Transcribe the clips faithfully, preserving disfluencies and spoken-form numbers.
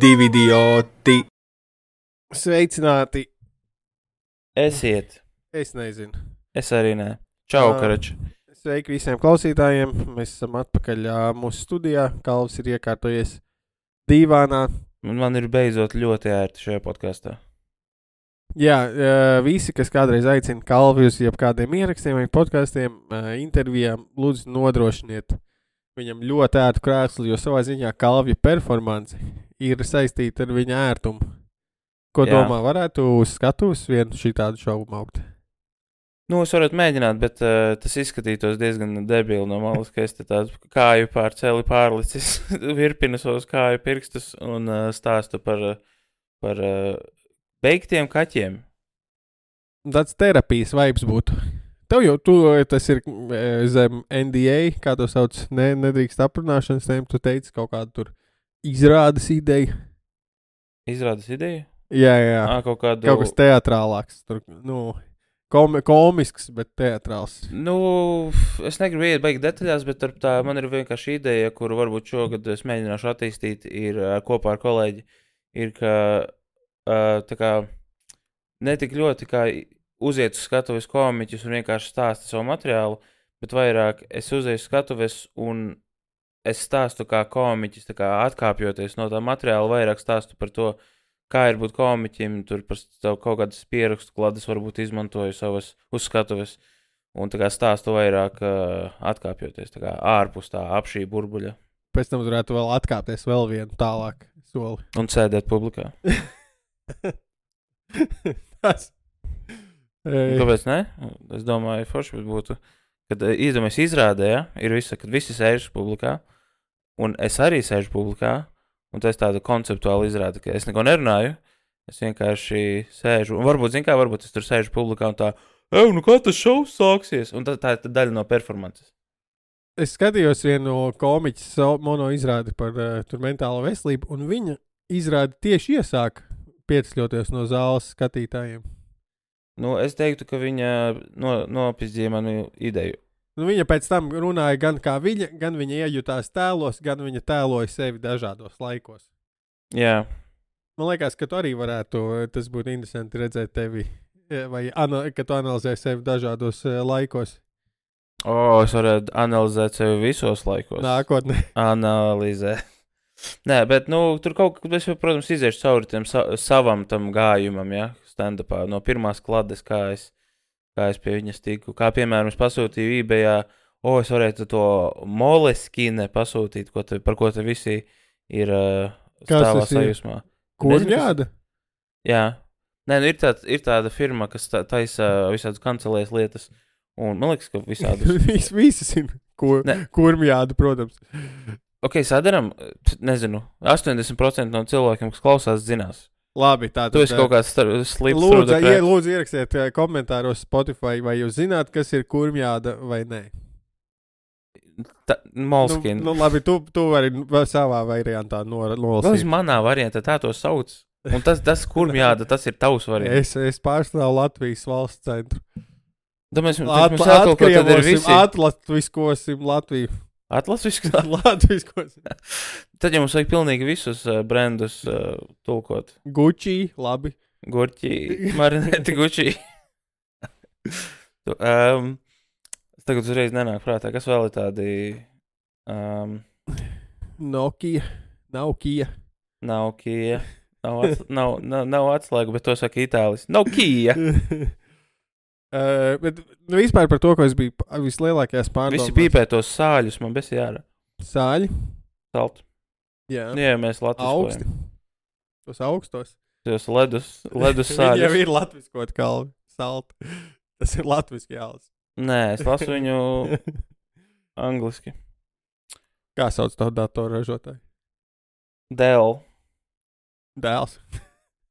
Divi idioti. Sveicināti. Esiet. Es nezinu. Es arī nē. Čau, Ā, Karač. Sveiki visiem klausītājiem. Mēs esam atpakaļ ā, mūsu studijā. Kalvs ir iekārtojies dīvānā. Man ir beidzot ļoti ērti šajā podkastā. Jā, ā, visi, kas kādreiz aicina Kalvi uz jebkādiem ierakstiem vai podkastiem, ā, intervijām, lūdzu nodrošiniet viņam ļoti ērtu krēslu, jo savā ziņā Kalvja performance ir saistīta ar viņa ērtumu. Ko Jā. domā, varētu uz skatuves vienu šitādu šovu maukt? Nu, es varētu mēģināt, bet uh, tas izskatītos diezgan debili no malas, ka es te tādu kāju pār celi pārlicis, virpinu savus kāju pirkstus un uh, stāstu par, uh, par uh, beigtiem kaķiem. Tāds terapijas vibes būtu. Tev jau, tu, tas ir e, zem N D A, kā to sauc, ne, nedrīkst aprunāšanas tēm, tu teici kaut kādu tur izrādes ideju. Izrādes ideju? Jā, jā, Ā, kaut kādu... kaut kas teatrālāks, tur, nu, kom, komisks, bet teatrāls. Nu, es negribu iet baigi detaļās, bet ar tā man ir vienkārši ideja, kuru varbūt šogad es mēģināšu attīstīt, ir uh, kopā ar kolēģi, ir, ka uh, tā kā netik ļoti kā uziet uz skatuves komiķus un vienkārši stāsta savu materiālu, bet vairāk es uzieju uz skatuves un es stāstu kā komiķis, tā kā atkāpjoties no tā materiāla, vairāk stāstu par to, kā ir būt komiķim, tur par savu kaut kādas pierakstu klades varbūt izmantoju savas uz skatuves un tā kā stāstu vairāk uh, atkāpjoties, tā kā ārpus tā ap šī burbuļa. Pēc tam varētu vēl atkāpties vēl vienu tālāk soli. Un sēdēt publikā. Tas. Ei. Kāpēc ne? Es domāju, forši būtu, kad iedomājies izrādē, ja, ir visa, kad visi sēž publikā, un es arī sēžu publikā, un tas tāda konceptuāla izrāda, ka es neko nerunāju, es vienkārši sēžu, un varbūt, zin kā, varbūt es tur sēžu publikā un tā, ev, nu kā tas šovs sāksies, un tā, tā ir daļa no performances. Es skatījos vienu komiķu mono izrādi par uh, tur mentālo veselību, un viņa izrādi tieši iesāk piecļoties no zāles skatītājiem. Nu, es teiktu, ka viņa no, nopizdīja manu ideju. Nu, viņa pēc tam runāja gan kā viņa, gan viņa iejutās tēlos, gan viņa tēloja sevi dažādos laikos. Jā. Man liekas, ka tu arī varētu, tas būtu interesanti redzēt tevi, vai ana, ka tu analizē sevi dažādos uh, laikos. O, es varētu analizēt sevi visos laikos. Nākotnē. Analizē. Nē, bet, nu, tur kaut kā, es, protams, iziešu cauri tiem sa savam tam gājumam, ja, stand-upā, no pirmās klades, kā es, kā es pie viņas tiku. Kā, piemēram, es pasūtīju eBayā, o, es varētu to Moleskine pasūtīt, ko te, par ko te visi ir uh, stāvā sajūsmā. Kurmjāda? Jā. Nē, nu, ir, tā, ir tāda firma, kas tā, taisa visādas kancelēs lietas, un man liekas, ka visādas... Vis, visi zina, kur, kurmjāda, protams. Ok, sadaram, nezinu, astoņdesmit procenti no cilvēkiem, kas klausās, zinās. Labi, tā tad... Tu esi kaut kāds slips lūdzu, ie, lūdzu ierakstiet komentāros Spotify, vai jūs zināt, kas ir kurmjāda vai nē. Moleskine. Nu, nu, labi, tu, tu vari savā variantā nolasīt. Vēl manā variantā tā to sauc. Un tas, tas kurmjāda, tas ir tavs variants. Es, es pārstāvu Latvijas valsts centru. Da mēs, At, mēs jātulko, tad ir visi. Atlatviskosim Latviju. Atlasviskot? Latviskosim. Tad jau mums vajag pilnīgi visus uh, brandus uh, tulkot. Gucci, labi. Gurķi, marinēti Gucci. um, tagad uzreiz nenāk prātā, kas vēl ir tādi... Um, Nokia, Nokia. Nokia. Nav, ats, nav, nav, nav atslēgu, bet to saka itālis. Nokia! Uh, bet nu, vispār par to, ko es biju vislielākajās pārdomās. Visi pīpē tos sāļus, man besi jārā. Sāļi? Salt. Jā. Jā, mēs latviskojam. Augsti. Tos augstos. Tos ledus, ledus sāļus. Viņi jau ir latviskot kalvi. Salt. Tas ir latviski jālis. Nē, es lasu viņu angliski. Kā sauc tavu datoru ražotāju? Dell. Dēls.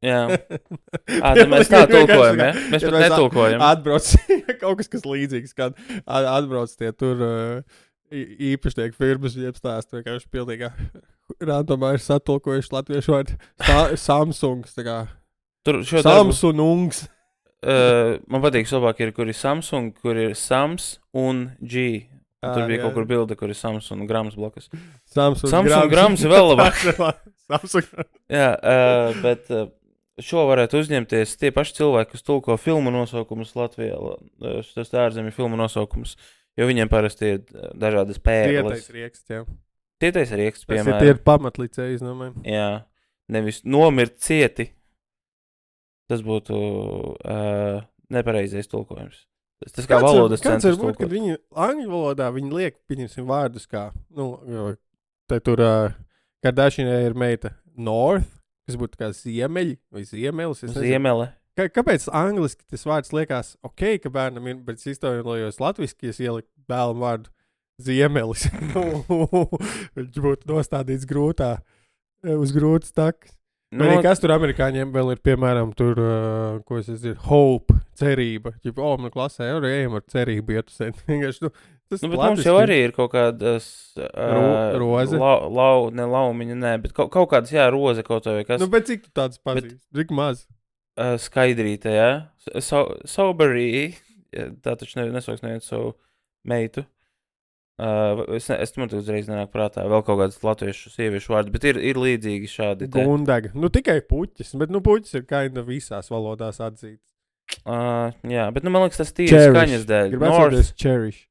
Jā. Ā, tad mēs tā tulkojam, ja? Mēs pat netulkojam. Atbrauc, kaut kas, kas līdzīgs, kad atbrauc tie tur uh, īpašnieki firmas, jeb stāst, vienkārši pilnīgā randomā ir satulkojuši latviešu vārdu Samsungs, tā kā tur šo Samsungs. Uh, man patīk labāk ir, kur ir Samsung, kur ir Sams un G. Un tur bija kaut kur bilde, kur ir Samsung grams blakus. Samsung, Samsung grams ir vēl labāk. Samsung. Jā, uh, bet uh, šo varētu uzņemties tie paši cilvēki, kas tulko filmu nosaukumus Latvijā. Tas ārzemju filmu nosaukumus, jo viņiem parasti ir dažādas pēkles. Tietais rieksts, jā. Tietais rieksts, piemēram. Tas ir tie pamatlicēji, es domāju. Jā, nevis nomirt cieti. Tas būtu uh, nepareizais tulkojums. Tas, tas kā kāds valodas var, centrs tulkot. Kad viņi angļu valodā, viņi liek, pieņemsim vārdus kā, nu, te tur uh, Kardashianai ir meita North, kas būtu kā ziemeļi vai ziemelis. Ziemele. Kā, kāpēc angliski tas vārds liekas ok, ka bērnam ir, bet es iztaujos latviski, es ieliku bēlam vārdu ziemelis. Viņš būtu nostādīts grūtā, uz grūtas takas. No, vai kas tur amerikāņiem vēl ir, piemēram, tur, uh, ko es zinu, hope, cerība. Ģip, o, man klasē, jau ejam ar cerību iet uz sēdi. Vienkārši, nu, tas nu, bet mums jau arī ir kaut kādas... Uh, Ro, roze? Lau, lau, ne laumiņa, nē, bet kaut, kaut kādas, jā, roze kaut vai kas. Nu, bet cik tu tādas pazīst? Cik maz? Uh, skaidrīte, jā. So, soberī, tā taču ne, nesauks neviens savu meitu. Uh, es, ne, es man te uzreiz nenāk prātā vēl kaut kādas latviešu sieviešu vārdi, bet ir, ir līdzīgi šādi. Te. Gundega. Nu, tikai puķis, bet, nu, puķis ir kaina visās valodās atzīts. Uh, jā, bet, nu, man liekas, tas tīri skaņas dēļ. Gribētu cherish.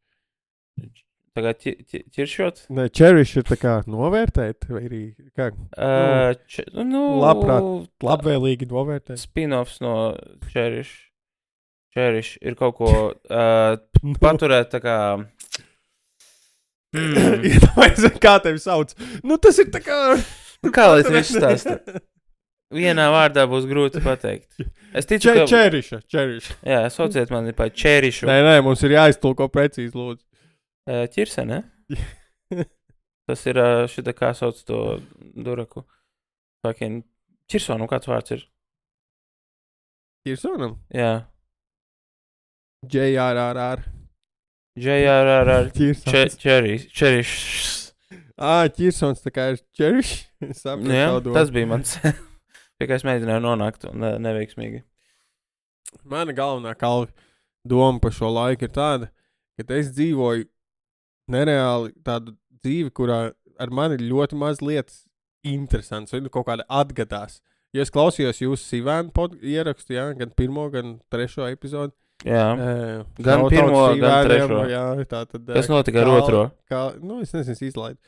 Tā kā ķi, ķi, ķiršot? Nē, cherish ir tā kā novērtēt, vai arī, kā, uh, č, nu, labprāt, labvēlīgi novērtēt. Spin-offs no cherish. Cherish ir kaut ko uh, paturēt tā kā... Mm. Iedomājies, kā tevi sauc. Nu, tas ir tā kā... Nu, kā lai es visu stāstu? Vienā vārdā būs grūti pateikt. Es ticu, Če, ka... Čeriša, čeriša. Jā, sauciet mani pa čerišu. Nē, nē, mums ir jāiztulko precīzi, lūdzu. Uh, ķirse, ne? Tas ir uh, šitā kā sauc to duraku. Fucking... Ķirsonu, kāds vārds ir? Ķirsonam? Jā. J R R R. J R R R. Čeriš. Ā, ķirsons tā kā ir čeriš. Nu jā, tas bija mans. Pie kā es mēģināju nonākt un ne, neveiksmīgi. Mana galvenā kalva doma par šo laiku ir tāda, ka es dzīvoju nereāli tādu dzīvi, kurā ar mani ir ļoti maz lietas interesants, vai nu kaut kāda atgadās. Jo es klausījos jūsu Sivēnu pod ierakstu, jā, gan pirmo, gan trešo epizodu. Jā, uh, gan pirmo, gan trešo. Jā, tā tad, kas notika ar otro? Kā, nu, es nezinu, es izlaidu.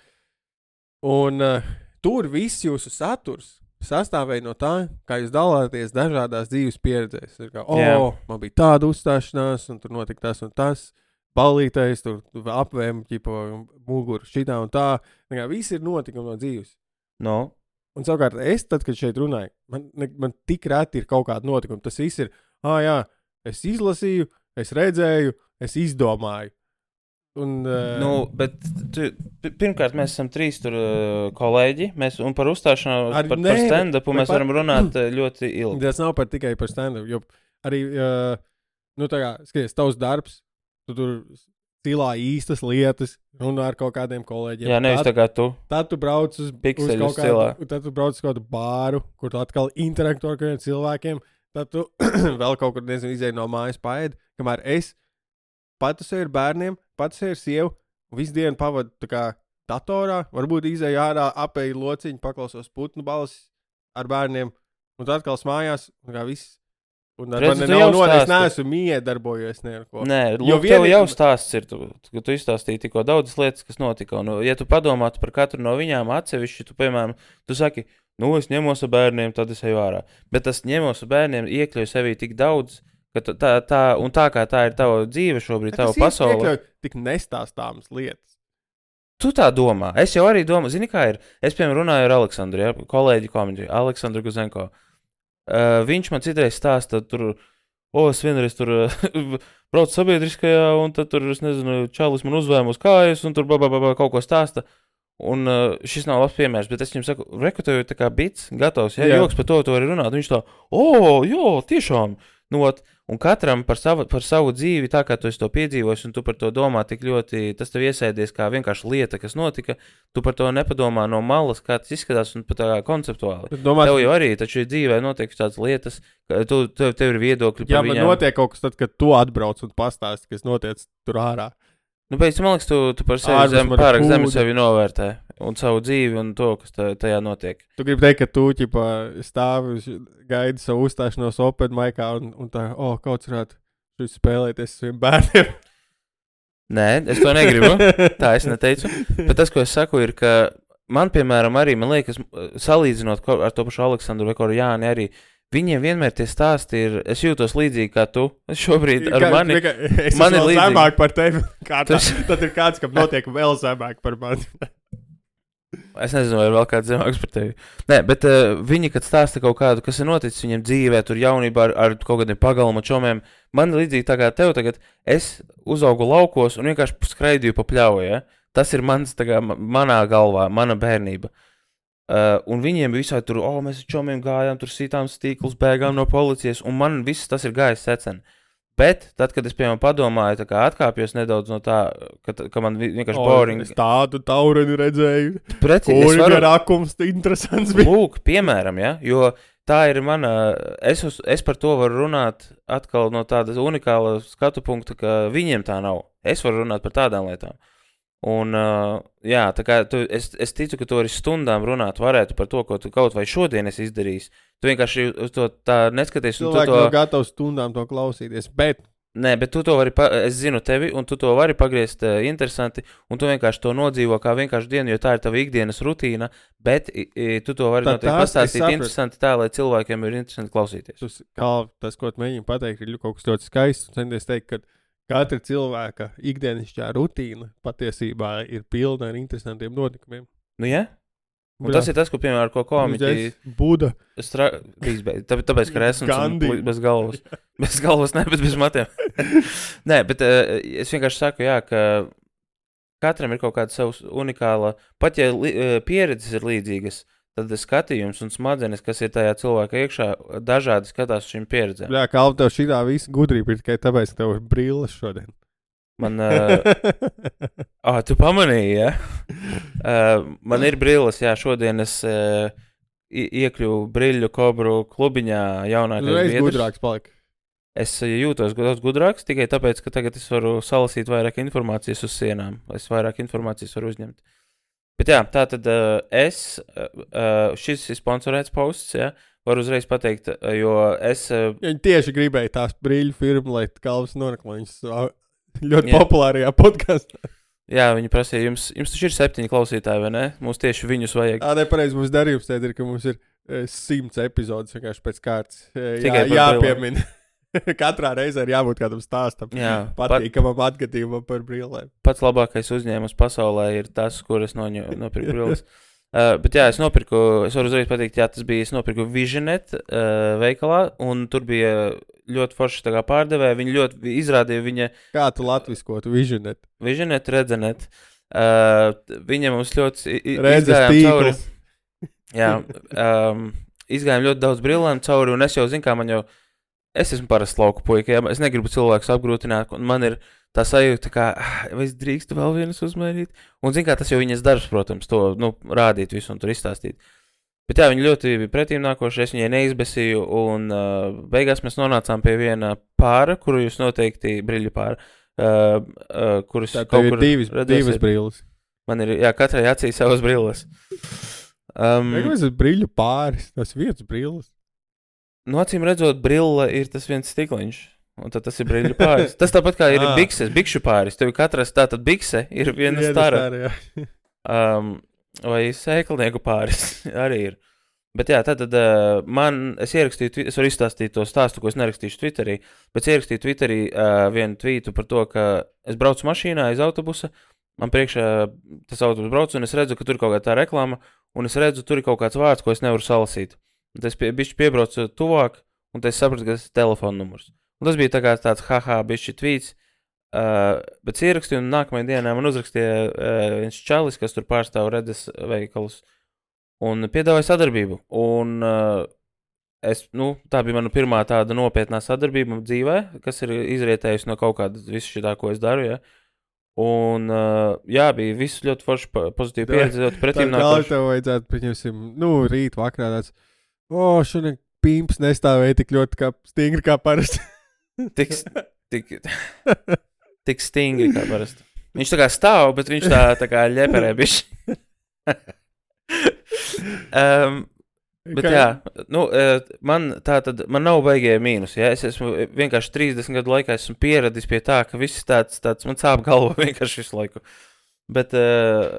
Un uh, tur viss jūsu saturs sastāvēja no tā, kā jūs dalāties dažādās dzīves pieredzēs. Ir kā, o, oh, man bija tāda uzstāšanās, un tur notika tas un tas, ballītais, tur apvēm, ķipa, muguru, šitā un tā. Kā, viss ir notikumi no dzīves. No. Un savukārt es, tad, kad šeit runāju, man, man tik reti ir kaut kāda notikuma. Tas viss ir, ā, jā, es izlasīju, es redzēju, es izdomāju. Un, uh... nu, bet tu, pirmkārt, mēs esam trīs tur uh, kolēģi, mēs, un par uzstāšanos, Ar, par, ne, par stand-upu mēs par... varam runāt uh, ļoti ilgi. Tas nav par tikai par stand-upu, jo arī, uh, nu, tā kā, skaties, tavs darbs, tu tur stilā īstas lietas, runā ar kaut kādiem kolēģiem. Jā, nevis tā kā tu. Tad tu brauc uz, uz kaut kādu, tad tu brauc uz kādu bāru, kur tu atkal interaktu ar kādiem cilvēkiem. Tad tu vēl kaut kur, nezinu, izēji no mājas paēdi, kamēr es pati sevi ar bērniem, pati sevi ar sievu, visu dienu pavadu tā kā datorā, varbūt izēju ārā, apēju lociņu, paklausos putnu balsis ar bērniem, un tad atkal smājās, un kā viss. Un ar Redz, mani nav nodēļ, es neesmu miedarbojies neko. Nē, lūk, tev jau stāsts ir, tu, tu, tu izstāstīji tikko daudzas lietas, kas notika, un ja tu padomātu par katru no viņām atsevišķi, tu, piemēram, tu saki, nu, es ņemos ar bērniem, tad es eju ārā. Bet tas ņemos ar bērniem iekļauj sevī tik daudz, ka tā, tā, un tā kā tā ir tava dzīve šobrīd, tava pasaule. Tas iekļauj tik nestāstāmas lietas. Tu tā domā. Es jau arī domāju, zini kā ir, es, piemēram, runāju ar Aleksandru, ja, kolēģi komiģi, Aleksandru Guzenko. Uh, viņš man citreiz stāsta, tur, o, es vienreiz tur uh, braucu sabiedriskajā, un tad tur, es nezinu, čalis man uzvēm uz kājas, un tur ba, ba, ba, ba, kaut ko stāsta. Un uh, šis nav labs piemērs, bet es viņam saku, reku, tev ir tā kā bits gatavs, ja, joks par to, to arī runāt. Un viņš tā, o, jo, tiešām. Nu, ot, un katram par savu, par savu dzīvi, tā kā tu esi to piedzīvojis, un tu par to domā tik ļoti, tas tev iesēdies kā vienkārši lieta, kas notika, tu par to nepadomā no malas, kā tas izskatās, un pat tā kā konceptuāli. Domās, tev jau arī, taču dzīvē notiek tādas lietas, ka tu, tev, tev ir viedokļi jā, par viņām. Jā, man notiek kaut kas tad, kad tu atbrauc un pastāsti, kas notiec tur ārā. Nu, pēc tam, man liekas, tu, tu par sevi zem, pārāk zemi sevi novērtē un savu dzīvi un to, kas tā, tajā notiek. Tu gribi teikt, ka tu ķipa stāvi, gaidi savu uzstāšanos open micā un, un tā, o, oh, kauts varētu šis spēlēties saviem bērniem. Nē, es to negribu, tā es neteicu. Bet tas, ko es saku, ir, ka man, piemēram, arī, man liekas, salīdzinot ar to pašu Aleksandru vai Koru Jāni arī, viņiem vienmēr tie stāsti ir, es jūtos līdzīgi kā tu, šobrīd ar kā, mani, kā, es man ir vēl līdzīgi. zemāk par tevi, kā tā, Tas... tad ir kāds, kam notiek vēl zemāk par mani. Es nezinu, vai ir vēl kāds zemāks par tevi. Nē, bet uh, viņi, kad stāsta kaut kādu, kas ir noticis viņiem dzīvē, tur jaunībā ar, ar kaut kādiem pagalma čomiem, man ir līdzīgi tā kā tev tagad, es uzaugu laukos un vienkārši skraidīju pa pļauju, ja? Tas ir mans, tā kā, manā galvā, mana bērnība. Uh, un viņiem visai tur, o, oh, mēs ar čomiem gājām, tur sītām stīklus, bēgām no policijas, un man viss tas ir gājis secen. Bet tad, kad es, piemēram, padomāju, tā kā atkāpjos nedaudz no tā, ka, ka man vienkārši O, boring... Es tādu taureni redzēju. Preci, Kur es varu... ir akums, interesants bija. Lūk, piemēram, ja, jo tā ir mana... Es, uz, es par to varu runāt atkal no tāda unikāla skatu punkta, ka viņiem tā nav. Es varu runāt par tādām lietām. Un, uh, jā, tā kā tu, es, es ticu, ka tu arī stundām runāt varētu par to, ko tu kaut vai šodien esi izdarījis. Tu vienkārši uz to tā neskaties. Cilvēki to... nav gatavi stundām to klausīties, bet... Nē, bet tu to vari, pa... es zinu tevi, un tu to vari pagriezt uh, interesanti, un tu vienkārši to nodzīvo kā vienkārši dienu, jo tā ir tava ikdienas rutīna, bet i, i, tu to vari noteikti pastāstīt interesanti tā, lai cilvēkiem ir interesanti klausīties. Tas, kā, tas ko tu mēģini pateikt, ir kaut kas ļoti skaists, un centies teikt, ka katra cilvēka ikdienišķā rutīna patiesībā ir pilna ar interesantiem notikumiem. Nu, jā? Un Bļā. Tas ir tas, ko, piemēram, ar ko komiķi... Buda. Stra... Tāpēc, tāpēc, ka esmu bez galvas. Bez galvas, ne, bet bez matiem. Nē, bet uh, es vienkārši saku, jā, ka katram ir kaut kāda savs unikāla... Pat ja li, uh, pieredzes ir līdzīgas, tad skatījums un smadzenes, kas ir tajā cilvēka iekšā, dažādi skatās šīm pieredzēm. Jā, kā tev šitā visa gudrība ir tikai tāpēc, ka tev ir brilles šodien. Man, uh, ah, tu pamanīji, ja? Uh, man ir brilles, jā, šodien es uh, iekļuvu Briļu Kobru klubiņā jaunākais biedrs. biedrs. Gudrāks palika. Es jūtos daudz gudrāks, tikai tāpēc, ka tagad es varu salasīt vairāk informācijas uz sienām. Es vairāk informācijas varu uzņemt. Bet jā, tā tad uh, es, uh, šis ir sponsorēts posts, ja, varu uzreiz pateikt, jo es... Uh, Viņi tieši gribēja tās brīļu firmu, lai Kalvs norakmaņas ļoti jā. Populārajā podkastā. Jā, viņi prasīja, jums, jums taču ir septiņi klausītāji, vai ne? Mums tieši viņus vajag. Tā nepareiz mums darījums tēt ir, ka mums ir e, simts epizodes vienkārši pēc kārtas. E, Tikai jā, jāpiemina. Katrā reizē ir jābūt kādam stāstam. Jā, patīkamam pat... atgadījumam par brillēm. Pats labākais uzņēmums pasaulē ir tas, kur es noņu, nopirku brilles. Uh, bet jā, es nopirku, es varu uzreiz pateikt, jā, tas bija, es nopirku Visionet uh, veikalā, un tur bija ļoti forši tā kā pārdevēja, viņi ļoti izrādīja viņa... Kā tu latviskotu Visionet? Visionet, Redzenet. Uh, viņa mums ļoti izgājām cauri. Jā, um, izgājām ļoti daudz brillēm cauri, un es jau zinu, kā man jau... Es esmu parasts lauku puika, jā, es negribu cilvēkus apgrūtināt, un man ir... Tā sajūta, kā, vai es drīkstu vēl vienas uzmērīt? Un, zin kā, tas jau viņas darbs, protams, to, nu, rādīt visu un tur izstāstīt. Bet jā, viņi ļoti bija pretīm nākoši, es viņai neizbesīju, un uh, beigās mēs nonācām pie viena pāra, kuru jūs noteikti, briļu pāra, uh, uh, kurus tā, kaut kur divas, divas brilles. Man ir, jā, katrai acī savas brilles. Um, Kāpēc tas briļu pāris, tas vietas brilles? Nu, acīm redzot, brille ir tas viens stikliņš. Un tad tas ir briļu pāris. Tas tāpat kā ir ah. bikses, bikšu pāris. Tev katras tātad bikse ir viena stara. um, vai sēklnieku pāris arī ir. Bet jā, tad uh, man, es ierakstīju, es varu izstāstīt to stāstu, ko es nerakstīšu Twitterī, bet es ierakstīju Twitterī uh, vienu tvītu par to, ka es braucu mašīnā aiz autobusa, man priekšā tas autobus brauc, un es redzu, ka tur ir kaut kā tā reklāma, un es redzu, tur ir kaut kāds vārds, ko es nevaru salasīt. Un tas pie, bišķi piebraucu tuvāk, un tas sapratu, ka tas ir telefona numurs. Un tas bija tā kā tāds haha bišķi tvīts, uh, bet es ierakstīju, un nākamajā dienā man uzrakstīja uh, viens čalis, kas tur pārstāv Redes veikalus, un piedāvāja sadarbību. Un uh, es, nu, tā bija mana pirmā tāda nopietnā sadarbība dzīvē, kas ir izrietējusi no kaut kāda visu šitā, ko es daru, ja. Un, uh, jā, bija viss ļoti forši pozitīvi pieredzi, ļoti pretīm nākoši. Tā tev vajadzētu, pieņemsim, nu, rīt vakarā tāds, o, šodien pimps nestāvēja tik ļoti kā stingri kā parasti. Tik, tik, tik stingri kā parasti. Viņš tā kā stāv, bet viņš tā, tā kā ļeperē bišķi. um, bet jā, nu, man tā tad, man nav baigie mīnus, ja? Es esmu vienkārši trīsdesmit gadu laikā esmu pieradis pie tā, ka viss tāds, tāds man sāp galva vienkārši visu laiku. Bet uh,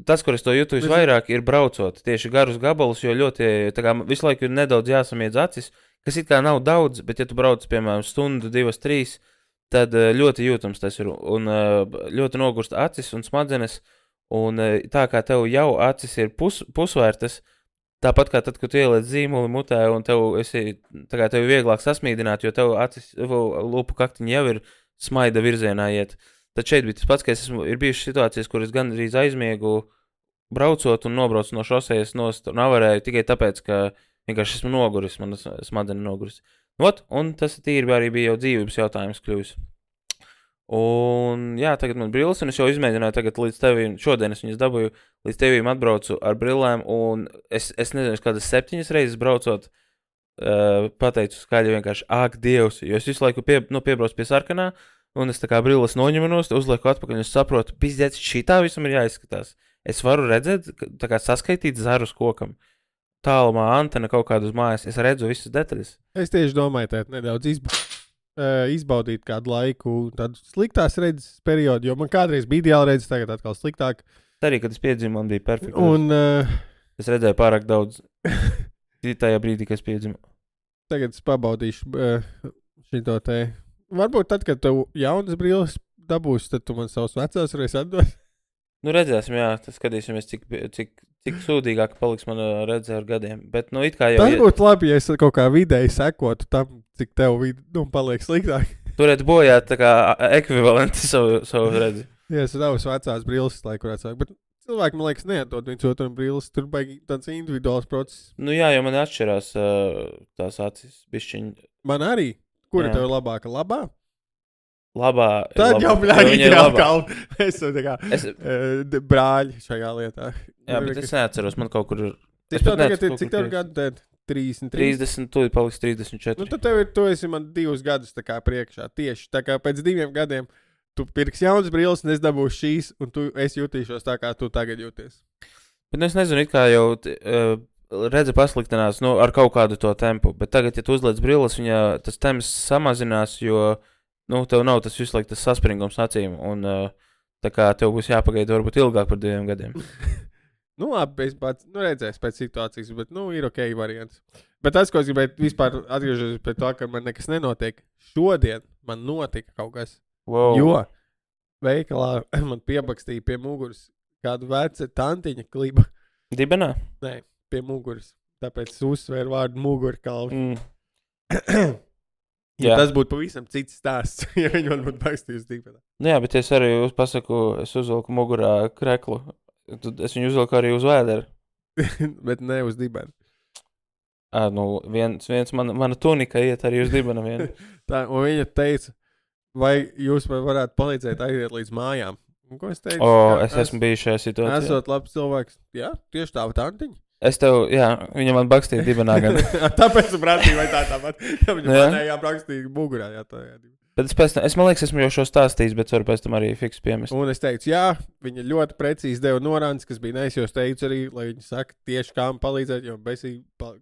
tas, kur es to jūtu visvairāk, ir braucot tieši garus gabalus, jo ļoti, tā kā visu laiku ir nedaudz jāsamiedz acis, kas it kā nav daudz, bet ja tu brauc, piemēram, stundu, divas, trīs, tad uh, ļoti jūtams tas ir, un uh, ļoti nogurst acis un smadzenes, un uh, tā kā tev jau acis ir pus, pusvērtas, tāpat kā tad, kad tu ieliec zīmuli mutē, un tev, esi, tā kā tev ir vieglāk sasmīdināt, jo tev acis, lūpu kaktiņi jau ir smaida virzienā iet. Tad šeit bija tas pats, ka es esmu, ir bijušas situācijas, kur es gandrīz aizmiegu braucot un nobraucu no šosejas nost un avarēju tikai tāpēc, ka vienkārši esmu noguris, man smadeni noguris. Ot, un tas tīri arī bija jau dzīvības jautājums kļuvis. Un jā, tagad man brilles, un es jau izmēģināju tagad līdz tevīm, šodien es viņas dabūju, līdz tevīm atbraucu ar brillēm, un es, es nezinu, kādas septiņas reizes braucot, uh, pateicu skaļi vienkārši, āk, Dievs, jo es visu laiku pie, nu, piebraucu pie sarkanā, un es tā kā brilles noņemanos, uzlieku atpakaļ, un es saprotu, pizdēts, šitā visam ir jāizskatās. Es varu redzēt, tā kā saskaitīt zarus kokam. Tālumā antena kaut kādu uz mājas, es redzu visas detaļas. Es tieši domāju, tēt nedaudz izba uh, izbaudīt kādu laiku, tādu sliktās redzes periodu, jo man kādreiz bija ideāli redzes, tagad atkal sliktāk. Arī, kad es piedzimu, man bija perfekti. Un uh, es redzēju pārāk daudz tajā brīdī, kad es piedzimu. Tagad es pabaudīšu uh, šito te. Varbūt tad, kad tev jaunas brilles dabūs, tad tu man savus vecās varēsi atdot. Nu, redzēsim, jā, tas skatīsimies, cik, cik, cik sūdīgāk paliks mana redzē ar gadiem. Bet, nu, it kā jau... Tas būtu labi, ja es kaut kā vidēji sekotu tam, cik tev vid... nu, paliek sliktāk. Turēt bojāt tā kā ekvivalenti savu, savu redzi. Jā, es savus vecās brilles laiku varētu sākt, bet cilvēki, man liekas, neatdod viņus otram brilles, tur baigi tāds individuāls process. Nu, jā, jo man atšķirās uh, tās acis bišķiņi. Man arī. Kura jā. Tev ir labāka? Labā? Labā. Tad labā. jau bļāgi ir jāapkalp. Es esmu tā kā es... uh, brāļi šajā lietā. Jā, bet es neatceros, man kaut kur ir... Cik tev tagad ir, cik tev ir gadu tad? trīsdesmit trīs? trīsdesmit, tūlīt paliks trīsdesmit četri. Nu, tad tev ir, tu esi man divus gadus tā kā priekšā. Tieši tā kā pēc diviem gadiem tu pirks jaunas brilles, un es dabūšu šīs, un tu, es jutīšos tā, kā tu tagad jūties. Bet nu, es nezinu, it kā jau uh, redze pasliktinās nu, ar kaut kādu to tempu, bet tagad, ja tu uzliec brilles, viņa tas temps samazinās, jo nu, tev nav tas visu laiku tas saspringums acīm, un uh, tā kā tev būs jāpagaida varbūt ilgāk par diviem gadiem. Nu, labi, es pats, nu, redzēs pēc situācijas, bet, nu, ir ok variants. Bet tas, ko es gribēju vispār atgriežos pie to, ka man nekas nenotiek, šodien man notika kaut kas, wow. Jo veikalā man piebakstīja pie muguras kādu veca tantiņa kliba. Dibenā? Nē, pie muguras. Tāpēc es uzsvēru vārdu mugurkalvi. Mm. Ja tas būtu pavisam cits stāsts, ja viņi man būtu bakstījusi dibenā. Nu jā, bet es arī uz pasaku, es uzvilku mugurā kreklu. Es viņu uzvilku arī uz vēderu. Bet ne uz dibenu. À, nu, viens, viens man, mana tunika iet arī uz dibena vienu. Tā, un viņa teica, vai jūs man varētu palīdzēt aiziet līdz mājām? Un ko es teicu? O, jā, es esmu bijis šajā situācijā. Esot labs cilvēks. Jā, tieši tā tantiņa. Es tev, jā, viņa man bakstīja dibenā gan. Tāpēc es prasīju, vai tā tāpat. Ja viņa Jā. manējā bakstīja mugurā. Jā, tā, jā. Bet es pēc tam, es man liekas, esmu jau šo stāstījis, bet varu pēc tam arī fiks piemest. Un es teicu, jā, viņa ļoti precīzi deva norādes, kas bija neis, jo es teicu arī, lai viņa saka tieši kā man palīdzēt, jo besīgi pa,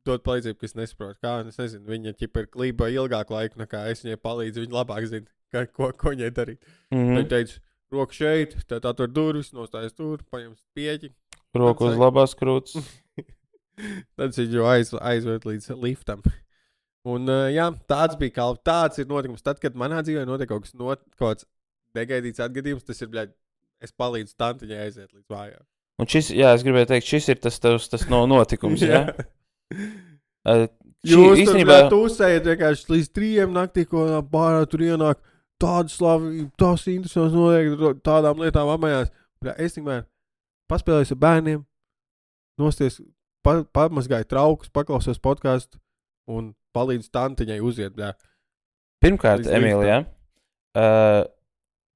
dot palīdzību, kas nesaprot. Kā, un es nezinu, viņa ķipa ir klība ilgāku laiku, nekā es viņai palīdzu, viņa labāk zina, kā, ko, ko viņai darīt. Mm-hmm. Viņa teica, roku šeit, tad atver durvis, nostājas tur, paņem pieķi. Roku uz labās krūts. Tad viņu aiz, aizved līdz liftam. Un, uh, jā, tāds bija kalps. Tāds ir notikums. Tad, kad manā dzīvē notiek kaut kas not, kaut kāds negaidīts atgadījums, tas ir, bļaļ, es palīdzu tantiņai aiziet līdz mājām. Un šis, jā, es gribēju teikt, šis ir tas, tas, tas no notikums, jā? uh, Jūs īstenībā... tur, bļaļ, tūsējat vienkārši līdz trījiem naktī, ko bārā tur ienāk tādu slavību, tās interesants notiek, tādām lietām apmējās. Bļaļ, es tikmēr paspēlēju ar bērniem, nosties, pa, pamazgāju traukus, paklausos podcastu un palīdz tantiņai uziet, bļā. Pirmkārt, Emīlija, uh,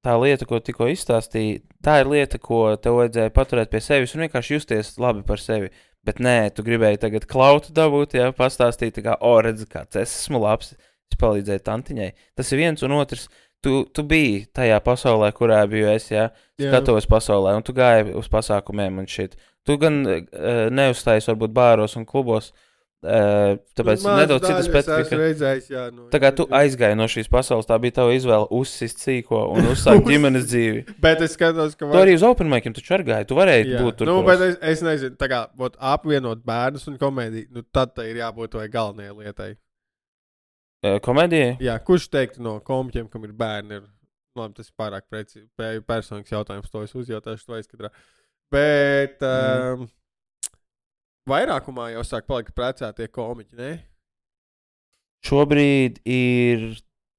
tā lieta, ko tikko izstāstīji, tā ir lieta, ko tev vajadzēja paturēt pie sevis un vienkārši justies labi par sevi. Bet nē, tu gribēji tagad klautu dabūt, jā, pastāstīt, tā kā, o, redzi, kāds es esmu labs, es palīdzēju tantiņai. Tas ir viens un otrs, tu, tu biji tajā pasaulē, kurā biju es, jā, skatuves pasaulē, un tu gāji uz pasākumiem un shit. Tu gan uh, neuzstājies varbūt bāros un klubos, uh, tāpēc nu, nedaudz cita specifika. Redzējis, jā, nu, tā kā tu aizgāji no šīs pasaules, tā bija tava izvēle uzsist sīko un uzsākt ģimenes dzīvi. Bet es skatos, ka... Var... Tu arī uz open mic'iem taču ar gāji, tu varēji jā. būt tur. Nu, bet es, es nezinu, tā kā būt apvienot bērnus un komēdiju, nu tad tā ir jābūt vai galvenajai lietai. Uh, komēdijai? Jā, kurš teiktu no komiķiem, kam ir bērni, ir, labi, tas ir pārāk preci, personīgs jautājums, to es uzjautāšu, to aizskatrā. Bet mm. um, vairākumā jau sāk palikt precētie komiķi, ne? Šobrīd ir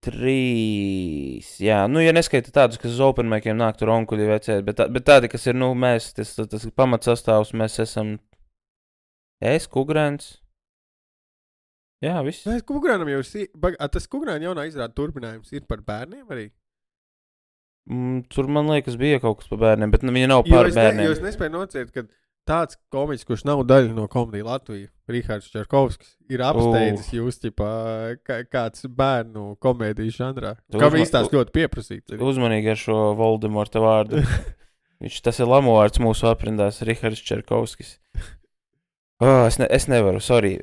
trīs, jā, nu, ja neskaita tādus, kas uz open mic'iem nāk tur onkuļi vecēt, bet, tā, bet tādi, kas ir, nu, mēs, tas, tas ir pamatsastāvs, mēs esam es, Kugrēns. Jā, viss. Nē, Kugrēnam jau ir, tas Kugrēna jaunā izrāda turpinājums ir par bērniem arī? Mm, tur, man liekas, bija kaut kas par bērniem, bet nu, viņa nav par jo bērniem. Ne, jo es nespēju nociet, ka tāds komiķis, kurš nav daļa no Komedija Latvija, Rihards Čerkovskis, ir apsteidzis uh. jūs, ķipā, kā, kāds bērnu komēdiju žanrā. Kā uzma... viņš tās ļoti pieprasīts. Uzmanīgi ar šo Voldemorta vārdu. Viņš, tas ir lamovārds mūsu aprindās, Rihards Čerkovskis. Oh, es, ne, es nevaru, sorry.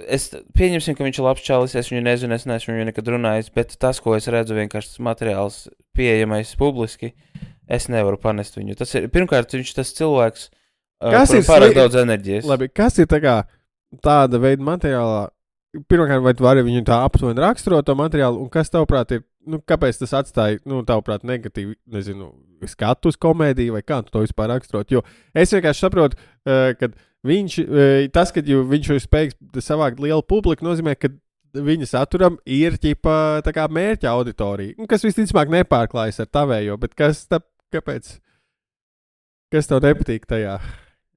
Es pieņemsim, ka viņš ir labs čalis, es viņu nezinu, es neesmu viņu nekad runājis, bet tas, ko es redzu, vienkārši tas materiāls pieejamais publiski, es nevaru panest viņu. Tas ir, pirmkārt, viņš tas cilvēks uh, par pārāk daudz enerģijas. Labi, kas ir tā kā tāda veida materiālā? Pirmkārt, vai tu vari viņu tā aptuveni raksturot to materiālu, un kas tavuprāt ir, nu, kāpēc tas atstāja, nu, tavuprāt, negatīvi, nezinu, skatu uz komēdiju, vai kā tu to vispār raksturot? Jo es vienkārši saprotu, uh, kad viņš, tas, ka viņš ir spējīgs savākt lielu publiku, nozīmē, ka viņa saturam ir ķipa tā kā mērķa auditorija, nu, kas visticamāk nepārklājas ar tavējo, bet kas, tā, kāpēc, kas tev nepatīk tajā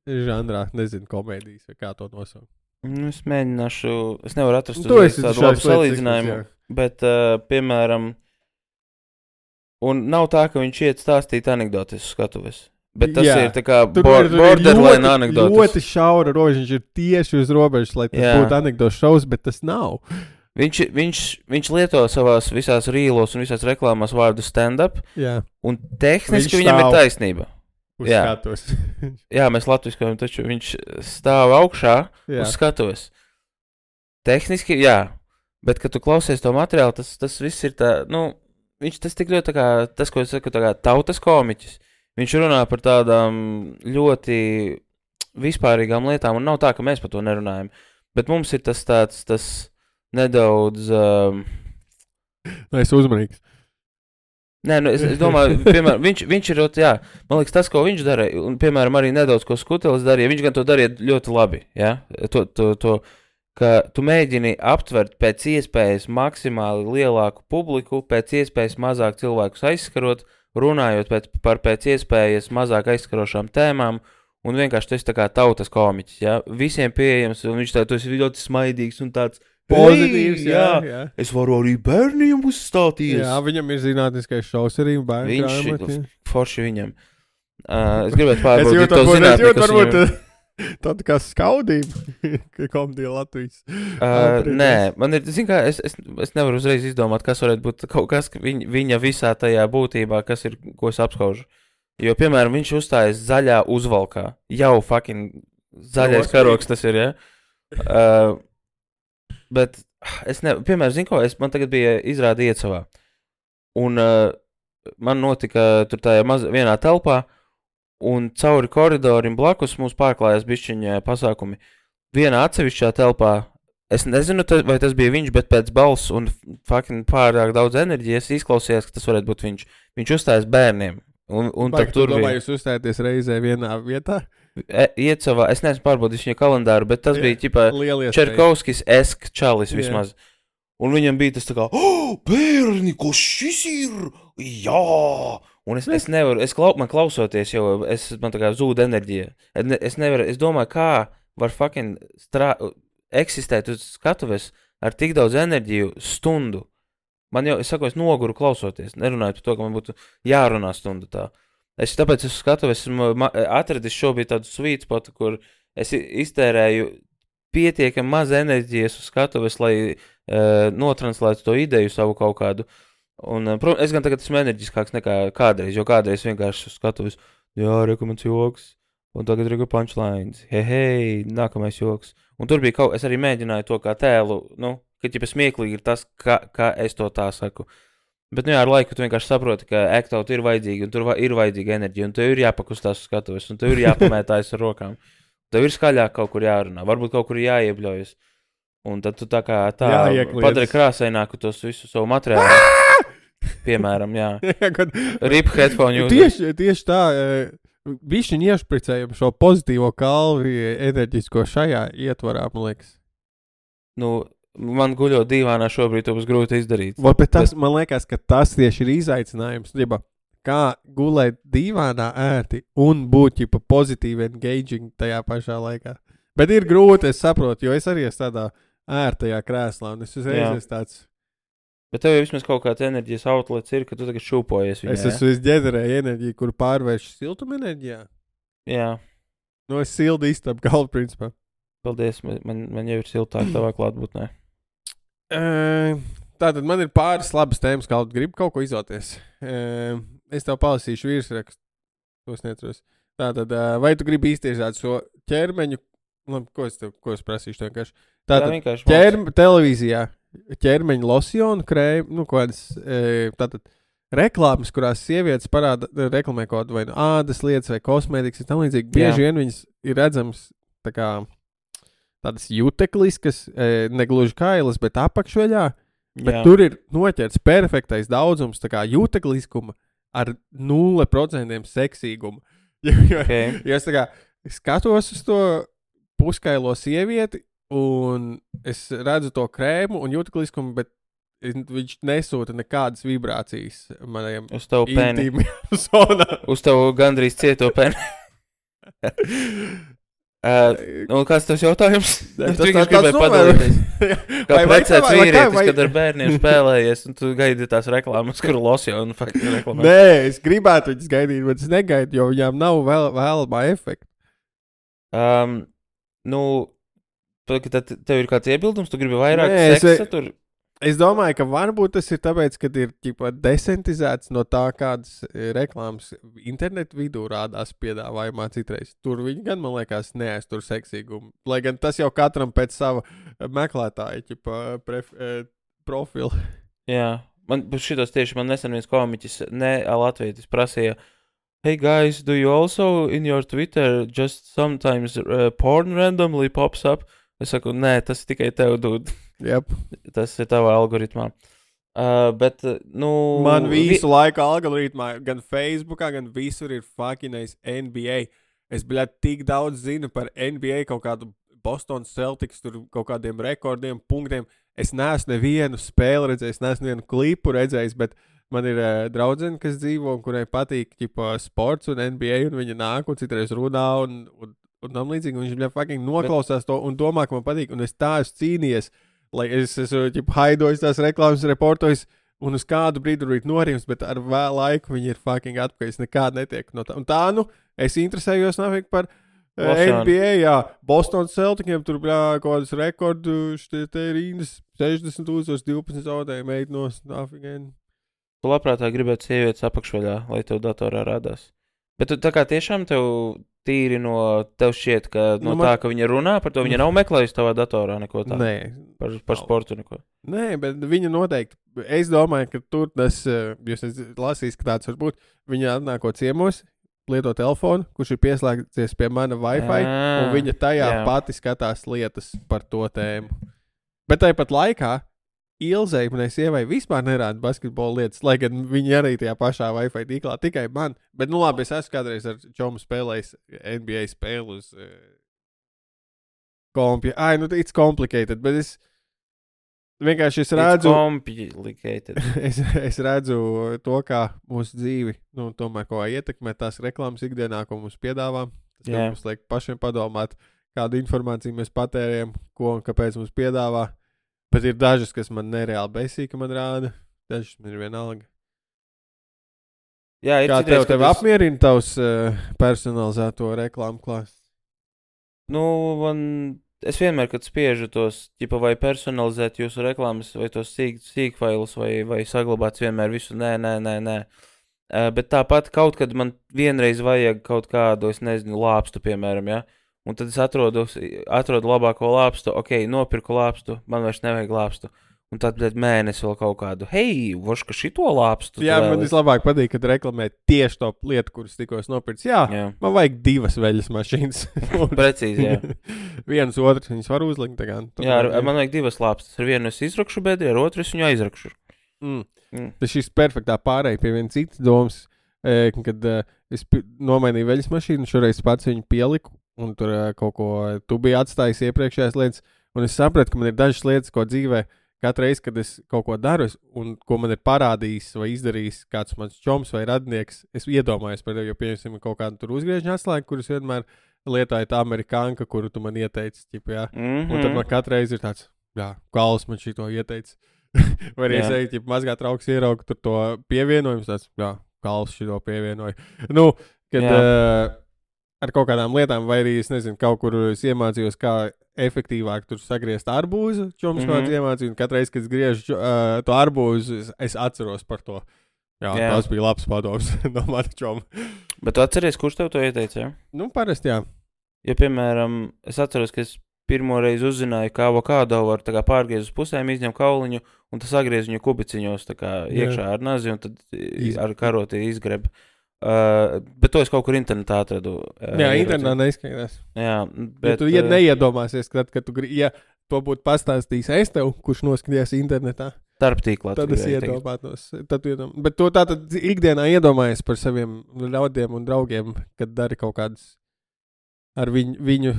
žanrā, nezinu, komēdijas, vai kā to nosaukt? Nu, es mēģināšu, es nevaru atrast uzreiz tādu labu salīdzinājumu, bet, uh, piemēram, un nav tā, ka viņš iet stāstīt anekdotes uz skatuves. Bet tas jā. Ir tā kā bor- borderline anekdotas. Ļoti šaura robeža, viņš ir tieši uz robežas, lai tas jā. Būtu anekdotas šovs, bet tas nav. Viņš, viņš, viņš lieto savās visās rīlos un visās reklāmās vārdu stand-up, jā. Un tehniski viņam ir taisnība. Uz jā. Skatuves. Jā, mēs latviskojam, taču viņš stāv augšā jā. Uz skatuves. Tehniski, jā, bet, kad tu klausies to materiālu, tas, tas viss ir tā, nu, viņš tas tik ļoti tā kā, tas, ko es saku, tā kā tautas komiķis. Viņš runā par tādām ļoti vispārīgām lietām, un nav tā, ka mēs par to nerunājam. Bet mums ir tas tāds, tas nedaudz... Um... Nē, es uzmanīgs. Nē, nu, es, es domāju, piemēram, viņš, viņš ir, jā, man liekas, tas, ko viņš darīja, un, piemēram, arī nedaudz, ko Skutelis darīja, viņš gan to darīja ļoti labi, jā, to, to, to, ka tu mēģini aptvert pēc iespējas maksimāli lielāku publiku, pēc iespējas mazāk cilvēkus aizskarot, runājot pēc, par pēc iespējas mazāk aizskarošām tēmām, un vienkārši tu esi tā kā tautas komiķis, jā, visiem pieejams, un viņš tā, tu esi ļoti smaidīgs un tāds pozitīvs, jā, jā, jā. Es varu arī bērniem uzstāties. Jā, viņam ir zinātniskais šovs arī bērnu viņš, grāmati. Forši viņam. Uh, es gribētu pārbaudīt to zinātni, kas viņam... Tāda kā skaudība, ka Komedija Latvijas. Uh, nē, man ir, zin kā, es, es, es nevaru uzreiz izdomāt, kas varētu būt kaut kas viņa, viņa visā tajā būtībā, kas ir, ko es apskaužu. Jo, piemēram, viņš uzstājas zaļā uzvalkā. Jau fucking zaļais karoks tas ir, ja? Uh, bet es ne, piemēram, zinu ko, es, man tagad bija izrāda Iecavā. Un uh, man notika tur tajā maz, vienā telpā, un cauri koridorim blakus mums pārklājās bišķiņa pasākumi. Vienā atsevišķā telpā, es nezinu, vai tas bija viņš, bet pēc balss un fucking pārāk daudz enerģijas izklausījās, ka tas varētu būt viņš. Viņš uzstājas bērniem. Un, un Vai, tur domā, jūs uzstājaties reizē vienā vietā? E, Iecavā, es neesmu pārbaudījis viņa kalendāru, bet tas Jā, bija ķipā Čerkovskis-esk čalis vismaz. Jā. Un viņam bija tas tā kā, oh, bērni, ko šis ir? Jā! Un es, es nevaru, es klau, man klausoties jau, es, man tā kā zūd enerģija. Es nevaru, es domāju, kā var fucking strā, eksistēt uz skatuves ar tik daudz enerģiju stundu. Man jau, es saku, es noguru klausoties, nerunājot par to, ka man būtu jārunā stundu tā. Es tāpēc es skatuves, esmu atradis šobrīd tādu sweet spotu, kur es iztērēju pietiekami maz enerģijas uz skatuves, lai uh, notranslētu to ideju savu kaut kādu. Un, uh, protams, es gan tagad esmu enerģiskāks nekā kādreiz, jo kādreiz vienkārši skatos, jā, rekomends joks, un tagad regu punchlines, hei, hei, nākamais joks. Un tur bija kaut, es arī mēģināju to kā tēlu, nu, ka ķipa smieklīgi ir tas, kā, kā es to tā saku. Bet, nu jā, ar laiku tu vienkārši saproti, ka act-out ir vajadzīgi, un tur va ir vajadzīga enerģija, un tev ir jāpakustās uz skatuves, un tev ir jāpamētājas ar rokām. Tev ir skaļāk kaut kur jārunā, varbūt kaut kur jāiebļojas. Un tad tu tā kā tā padari krāsaināku tos visu savu materiālu. Piemēram, jā. Rip headphone user. Tieši, tieši tā, bišķiņ iešpricējam šo pozitīvo kalvi enerģisko šajā ietvarā, man liekas. Nu, man guļot dīvānā šobrīd to būs grūti izdarīt. Vat, bet tas, man liekas, ka tas tieši ir izaicinājums. Ģipa, kā gulēt dīvānā ērti un būt ģipa pozitīvi engaging tajā pašā laikā. Bet ir grūti, es saprotu, jo es arī esmu tādā ērtajā krēslā, un es uzreiz esmu tāds... Bet tev jau vismaz kaut kāds enerģijas outlets ir, ka tu tagad šūpojies viņā, Es esmu izģederēju enerģiju, kuru pārvēršu siltuma enerģijā. Jā. Nu, es sildu istabu galvu, principā. Paldies, man, man jau ir siltāk tavā klātbūtnē. Uh, tātad man ir pāris labas tēmas, kā gribu kaut ko izvēlēties. Uh, es tev palasīšu virsrakstu. To es neatceros. Tātad, uh, vai tu gribi iztirzāt šo ķermeņu? Labi, ko es tev, ko es prasīšu vienkārši? Tātad, Jā, vienkārši ķerm, televīzijā ķermeņa losjonu krēmu, nu, kādas, uh, tātad, reklāmas, kurās sievietes parāda, reklamē kaut vai nu ādas lietas vai kosmētikas, ir tam līdzīgi. Bieži vien viņas ir redzams tā kā tādas jutekliskas, e, negluži kailas, bet apakšveļā, bet Jā. Tur ir noķerts perfektais daudzums tā kā jutekliskuma ar nulle procenti seksīguma. Jo, jo, okay. jo es tā kā skatos uz to puskailo sievieti un es redzu to krēmu un jutekliskumu, bet viņš nesūta nekādas vibrācijas manajam uz tavu pēni. Zonā. Uz tavu gandrīz cieto pēni. Uh, nu, kāds tas jautājums? Ne, tu vienkārši gribēji padalīties. Kā precēts vīrietis, vai... kad ar bērniem spēlējies, un tu gaidi tās reklāmas, kuru losjonu fakti reklamē. Nē, es gribētu viņas gaidīt, bet es negaidu, jo viņām nav vēl, vēlamā efekta. Um, nu, tad tev ir kāds iebildums, tu gribi vairāk Nē, seksa es... tur? Es domāju, ka varbūt tas ir tāpēc, ka ir ķipa, desentizēts no tā, kādas reklāmas internetu vidū rādās piedāvājumā citreiz. Tur viņi gan, man liekas, neaiztur seksīgumu. Lai gan tas jau katram pēc sava meklētāja ķipa, pref, eh, profila. Jā, man šitos tieši man nesen viens komiķis, ne latvietis, prasīja, hey guys, do you also in your Twitter just sometimes uh, porn randomly pops up? Es saku, nē, tas ir tikai tev, dude. Yep. Tas ir tavā algoritmā. Uh, bet, nu... Man visu vi... laiku algoritmā, gan Facebookā, gan visur ir fuckinais N B A. Es, bļāt, tik daudz zinu par N B A, kaut kādu Boston Celtics, tur kaut kādiem rekordiem, punktiem. Es neesmu nevienu spēli redzējis, neesmu nevienu klipu redzējis, bet man ir uh, draudzene, kas dzīvo un kurai patīk ķipa, sports un N B A, un viņa nāk un citreiz runā un... un un tam līdzīgi, un viņš bļā fucking noklausās bet... to un domā, ka man patīk, un es tā esmu cīnījies, lai es esmu, ķip, haidojis tās reklāmas, reportojis, un uz kādu brīdi ir norims, bet ar vēl laiku viņi ir fucking atpakaļ, es nekādu netiek no tā. Un tā, nu, es interesējos nafik par uh, N B A, jā, Boston Celticiem, tur bļā kaut kādas rekordu, štie te rindas, sešdesmit tūkstoši divpadsmit zaudēja meitnos, nafigēni. Tu labprātāk gribētu sievietes apakšvaļā, lai tev datorā rādās. Bet tu tā kā tiešām tev tīri no tev šķiet, ka no nu, man... tā, ka viņa runā par to, viņa nav meklējusi tavā datorā neko tādu? Nē. Par, par sportu neko? Nē, bet viņa noteikti, es domāju, ka tur tas, jūs lasīs, ka tāds var būt, viņa atnāko ciemos, lieto telefonu, kurš ir pieslēgties pie mana Wi-Fi, à, un viņa tajā jā. Pati skatās lietas par to tēmu. Bet tāpat laikā Ilzei, manai sievai, vispār nerāda basketbola lietas, lai gan viņi arī tajā pašā Wi-Fi tīklā, tikai man. Bet, nu labi, es esmu kādreiz ar čomu spēlējis N B A spēli uz uh, kompja. Ai, nu, it's complicated, bet es vienkārši es redzu... It's complicated. es, es redzu to, kā mūsu dzīvi, nu, tomēr ko ietekmē tās reklāmas ikdienā, ko mums piedāvā. Tas yeah. mums liek pašiem padomāt, kādu informāciju mēs patērējam, ko un kāpēc mums piedāvā. Bet ir dažas, kas man nereāli besīja, ka man rāda. Dažas man ir vienalga. Jā, ir kā citreiz, tev, tev es... apmierina tavs uh, personalizēto reklāmu klāsts? Nu, man es vienmēr, kad spiežu tos, ķipa, vai personalizēt jūsu reklāmas, vai tos sīk, sīkfailus, vai, vai saglabāt vienmēr visu, nē, nē, nē, nē. Uh, bet tāpat kaut kad man vienreiz vajag kaut kādu, es nezinu, lāpstu, piemēram, ja? Un tad es atrodu, atrodu labāko lāpstu, ok, nopirku lāpstu, man vairs nevajag lāpstu. Un tad, bet mēnesi vēl kaut kādu, hei, voška šito lāpstu. Jā, man vislabāk patīk, kad reklamē tieši to lietu, kuras tikko es nopircu. Jā, jā, man vajag divas veļas mašīnas. Precīzi, jā. Vienas otras viņas var uzlikt. Tā kā, jā, ar, man vajag divas lāpstas. Ar vienu es izrakšu bedri, ar otru es viņu aizrakšu. Mm. Mm. Tas šis perfektā pārēja pie vienas citas domas, kad uh, es nomainīju veļas mašīnu, šoreiz pats viņu pieliku, un tur uh, kaut ko tu biji atstājis iepriekšējās lietas, un es sapratu, ka man ir dažas lietas, ko dzīvē katru reizi, kad es kaut ko daru, un ko man ir parādījis vai izdarījis kāds mans čoms vai radnieks, es iedomājos par tevi, jo pieņemsim kaut kādu tur uzgriežņu atslēgu, kurus vienmēr lietoju tā amerikānka, kuru tu man ieteici, ķip, jā. Mm-hmm. Un tad man katru reizi ir tāds, jā, Kals man šito ieteici. Vai arī es eju, ķip, mazgāt trauks ieraugu tur to pievienojums, tāds, jā, Kals šito pievienoju. Nu, kad uh, ar kaut kādām lietām, vai arī, es nezinu, kaut kur es iemācījos, kā efektīvāk tur sagriezt arbūzu, čoms mm-hmm. kāds iemācīja, un katreiz, kad es griežu uh, to arbūzu, es, es atceros par to. Jā, jā. Tas bija labs padoms no mata čoma. Bet tu atceries, kurš tev to ieteica, jā? Nu, parasti, jā. Ja, piemēram, es atceros, ka es pirmo reizi uzzināju, kā avokādo var tā kā pārgriezt uz pusēm, izņem kauliņu, un tas sagriez viņu kubiciņos tā kā iekšā ar nazi, un tad Iz... ar karoti izgreb. Uh, bet to es kaut kur internetā atradu. Uh, jā, internetā neizskaidās. Jā, bet... Ja tu ja neiedomāsies, kad, kad tu grib, ja to būtu pastāstījis es tev, kurš noskatījās internetā, starptīklā. Tad es iedomātos. Tad iedomā... Bet to tātad ikdienā iedomājies par saviem ļaudiem un draugiem, kad dari kaut kādas ar viņu, viņu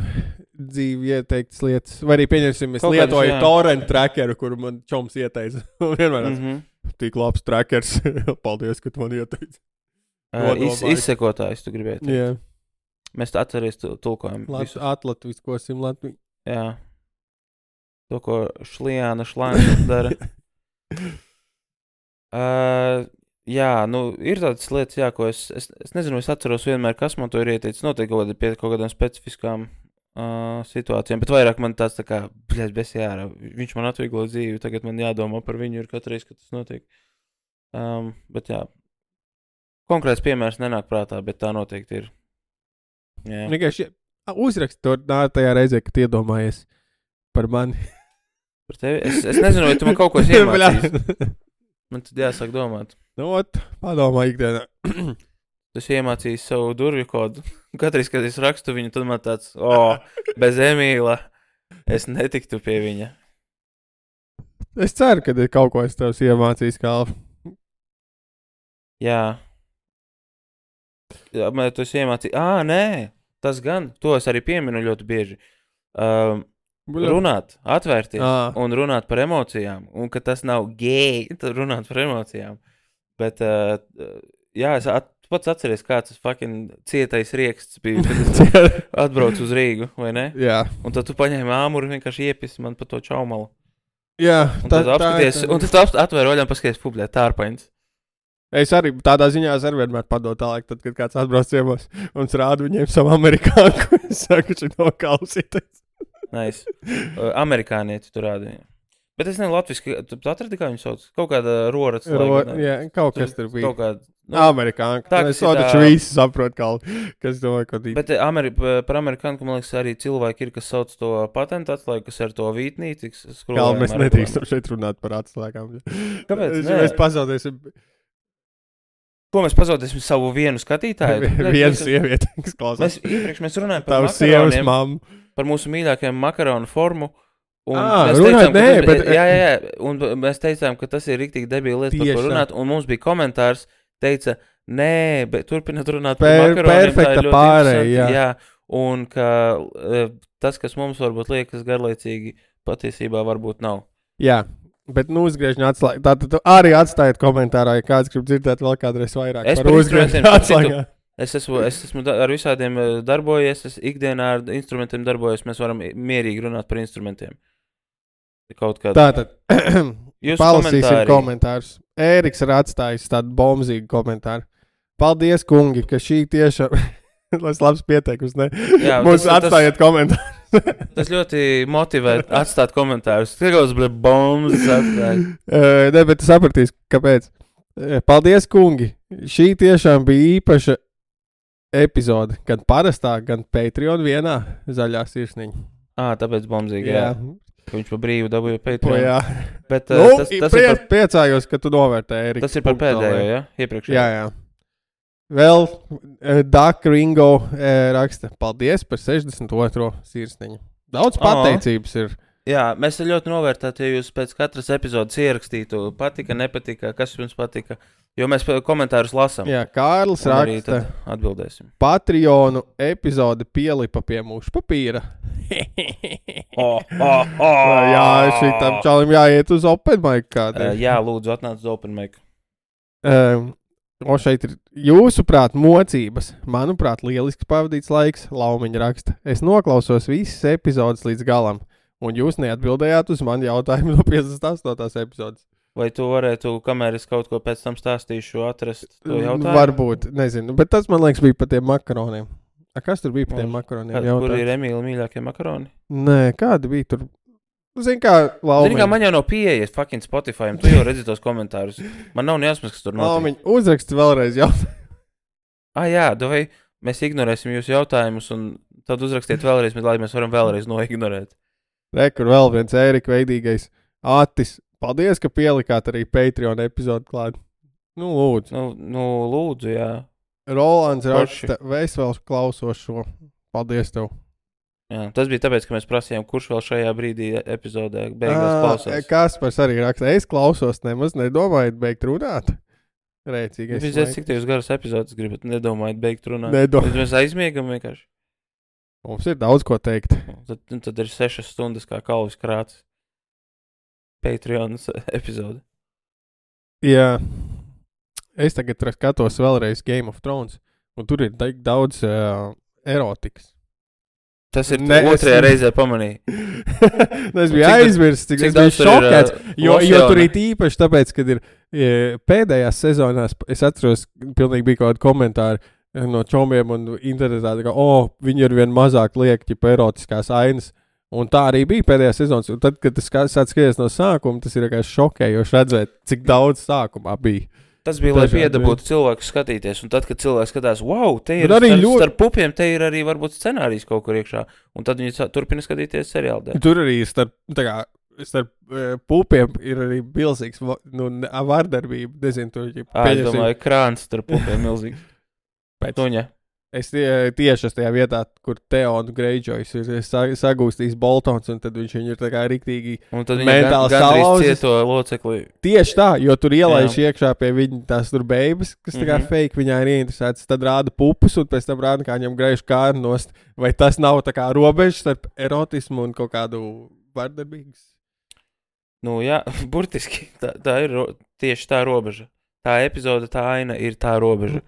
dzīvi ieteiktas lietas. Vai arī, pieņemsim, es kaut lietoju kādas, torrent trackeru, kuru man čoms ieteica. Vienmēr mm-hmm. tik labs trackers. Paldies, ka tu man ieteici. Uh, iz, izsekotājs, tu gribēji teikt. Yeah. Mēs atceries tulkojam. Lat, atlatviskosim Latviju. Jā. To, ko Šlijāna Šlāna dara. uh, jā, nu, ir tādas lietas, jā, ko es, es, es nezinu, es atceros vienmēr, kas man to ir ieteicis. Noteikti kaut, pie kaut kādām specifiskām uh, situācijām, bet vairāk man tāds tā kā, bļēc, besi jārā. Viņš man atvieglo dzīvi, tagad man jādomā par viņu ir katru reizi, kad tas notiek. Um, bet jā. Konkrēts piemērs nenāk prātā, bet tā noteikti ir. Jā. Vienkārši uzrakst to tajā reizē, kad iedomājies par mani. Par tevi? Es, es nezinu, vai tu man kaut ko iemācīsi. Man tad jāsāk domāt. Nu, ot, padomā ikdienā. Tu esi iemācījis savu durvju kodu. Katreiz, kad es rakstu viņu, tad man tāds, o, oh, bez Emīla, es netiktu pie viņa. Es ceru, ka ir kaut ko es tevs iemācījis, Kalv. Jā. Jā, man tu esi iemācījis. Ā, nē, tas gan, to es arī pieminu ļoti bieži. Um, runāt, atvērties à. Un runāt par emocijām. Un ka tas nav gēj, tad runāt par emocijām. Bet, uh, jā, es at, pats atceries, kāds tas fucking cietais rieksts bija, kad es atbraucu uz Rīgu, vai ne? Jā. Un tad tu paņēmi āmuru un vienkārši iepisi man pa to čaumalu. Jā. Un tad tā, apskaties, tā, tā. Un tad tu atvēri oļām paskaties publiē, tārpaņas. Es arī tādā ziņā es arī vienmēr padodu tālāk, tad, kad kāds atbrauc ciemos un es rādu viņiem savu amerikāņu, es saku, ka no klausīties. Nice. Uh, amerikānieti tu rādi viņiem. Bet es nezinu latviski, tu atradi, kā viņu sauc? Kaut kāda rorats. Ro, jā, kaut kas tur bija. Kaut kāda. Nu, amerikāņu. Tā, es tā... taču visi saprot, kā, kas domāju, ko tīt. Bet Ameri par amerikāņu, man liekas, arī cilvēki ir, kas sauc to patentu atslēgu, kas ar to vītnīti. Kā mēs nedrīkstam šeit runāt par atslēgām. Kāpēc? Mēs pazaudēsim... Ko mēs pazaudēsim savu vienu skatītāju? Vienu sievieti, kas klausās. Mēs iepriekš mēs runājam par Tavs sievas mammu. Par mūsu mīļākajiem makaronu formu. Un à, mēs runāt, teicām, nē, tas, bet... Jā, jā, jā. Un mēs teicām, ka tas ir riktīgi debīla lieta, par ko runāt. Un mums bija komentārs, teica, nē, bet turpināt runāt per, par makaroniem. Perfekta pārēja, jā. jā. Un ka tas, kas mums varbūt liekas garlaicīgi, patiesībā varbūt nav. Jā. Bet nu uzgriežņu atslēgu. Tātad tu arī atstājiet komentārā, ja kāds grib dzirdēt vēl kādreiz vairāk es par uzgriežņu atslēgā. Es esmu, es esmu ar visādiem darbojies, es ikdienā ar instrumentiem darbojos, mēs varam mierīgi runāt par instrumentiem. Kaut kādā. Tātad, palasīsim komentārus. Ēriks ir atstājis tādu bombzīgu komentāru. Paldies, kungi, ka šī tiešām... Tas labs pieteikums, ne? Jā, Mums tas- atstājiet komentāru. Tas ļoti motivē atstāt komentārus. Tikos, bļa, bombas atstāt. Uh, ne, bet tu sapratīsi, kāpēc. Uh, Paldies, kungi! Šī tiešām bija īpaša epizode. Gan parastā, gan Patreon vienā zaļā sirsniņa. Ā, tāpēc bombzīgi, jā. Ka viņš pa brīvu dabūja Po, Patreon. jā. Bet uh, Nu, tas, tas, prie, ir par, priecājos, ka tu novērtēji, Erika. tas ir par pēdējo, jā? Iepriekšējo. Jā, jā. Vēl uh, Duck Ringo uh, raksta. Paldies par sešdesmit otro sirsniņu. Daudz pateicības ir. Jā, mēs ļoti novērtētu, ja jūs pēc katras epizodes ierakstītu patika, nepatika, kas jums patika. Jo mēs pa- komentārus lasām. Jā, Kārlis Un arī raksta. tad atbildēsim. Patreonu epizode pielipa pie mūsu papīra. Oh, oh, oh. Jā, šitam čalim jāiet uz open mic Uh, kādreiz. jā, lūdzu, atnāc uz open mic. Um, o šeit ir jūsuprāt mocības. Manuprāt, lielisks pavadīts laiks, Laumiņa raksta. Es noklausos visas epizodes līdz galam, un jūs neatbildējāt uz mani jautājumu no piecdesmit astotās epizodes. Vai tu varētu, kamēr es kaut ko pēc tam stāstīšu, atrast to jautājumu? Varbūt, nezinu, bet tas man liekas bija par tiem makaroniem. A, kas tur bija par tiem makaroniem? Kā, kur Jautājums. ir Emīla mīļākie makaroni? Nē, kādi bija tur? Zini, kā Laumiņa. Zini, kā man jau nav pieejas fucking Spotify, un tu jau redzi tos komentārus. Man nav nejausmas, kas tur notiek. Laumiņa, uzraksti vēlreiz jautājumu. Ah, jā, vai mēs ignorēsim jūsu jautājumus, un tad uzrakstiet vēlreiz, lai mēs varam vēlreiz noignorēt. Re, kur vēl viens Ērika veidīgais Atis. Paldies, ka pielikāt arī Patreon epizodu klāt. Nu, lūdzu. Nu, nu lūdzu, jā. Rolands Forši. raksta, es vēl klausos šo. Paldies tev. jā. Tas bija tāpēc, ka mēs prasījām, kurš vēl šajā brīdī epizodē beigās Ā, klausās. Kaspars arī raksta, es klausos, nemaz nedomājot beigt runāt. Rēcīgais. Viņš zina, cik tev garas epizodes gribat, nedomājot beigt runāt. Nedomājot. Tad mēs aizmiegam vienkārši. Mums ir daudz ko teikt. Tad, tad ir sešas stundas kā kalvis krāts. Patreonas epizode. Jā. Es tagad skatos vēlreiz Game of Thrones, un tur ir tik daudz uh, erotikas. Tas ir Ne, ne, es- otrajā reizē pamanīju. es biju Cik daudz- aizmirsts, cik cik es biju daudz tur ir, šokēts, uh, jo, jo losjona? tur ir īpaši tāpēc, kad ir e, pēdējās sezonās, es atceros, pilnīgi bija kaut kādi komentāri e, no čomiem un internetā, tā kā, o, oh, viņi ir vien mazāk liek, ķipa erotiskās ainas, un tā arī bija pēdējā sezonas, un tad, kad tas sāk skaties no sākuma, tas ir vienkārši šokējoši redzēt, cik daudz sākumā bija. Tas bija, lai Dažādi piedabūtu cilvēku skatīties, un tad, kad cilvēks skatās, wow, te ir Bet arī starp, ļoti- starp pupiem, te ir arī varbūt scenārijs kaut kur iekšā, un tad viņi sa- turpina skatīties seriālu dēļ. Tur arī ir starp, tā kā, starp e, pupiem ir arī bilzīgs, va- nu, ne- vardarbība, nezinu, tur, ja Ā, es domāju, krāns starp pupiem milzīgs. Pēc- Tuņa. Es tie, tieši esmu tajā vietā, kur Teons Greyjoys ir sa- sagūstījis Boltons, un tad viņš viņu ir tā kā riktīgi. Un tad viņi Mentāli gan, gandrīz salauzis. cieto locekli. Tieši tā, jo tur ielaiž iekšā pie viņa tās tur beigas, kas tā kā Mhm. fake, viņā ir ieinteresēts. Tad rāda pupus, un pēc tam rāda, kā viņam griež kāru nost. Vai tas nav tā kā robeža starp erotismu un kaut kādu vardarbīgas? Nu jā, burtiski, tā, tā ir ro- tieši tā robeža. Tā epizode, tā aina ir tā robeža.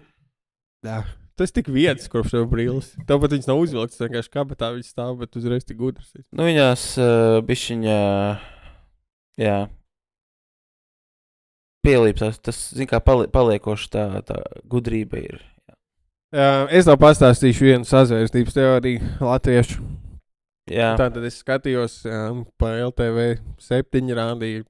Jā. Tas tik vietas, kurš tev brīlis. Tāpat viņas nav uzvilktas, vienkārši kabatā viņas stāv, bet uzreiz tik gudrs. Nu viņās uh, bišķiņā, jā, pielīpsās, tas, zin kā, pali, paliekoši tā, tā gudrība ir. Uh, es tev pastāstīšu vienu sazvērstības teoriju latviešu. Jā, Tātad es skatījos um, pa L T V septiņi rādīju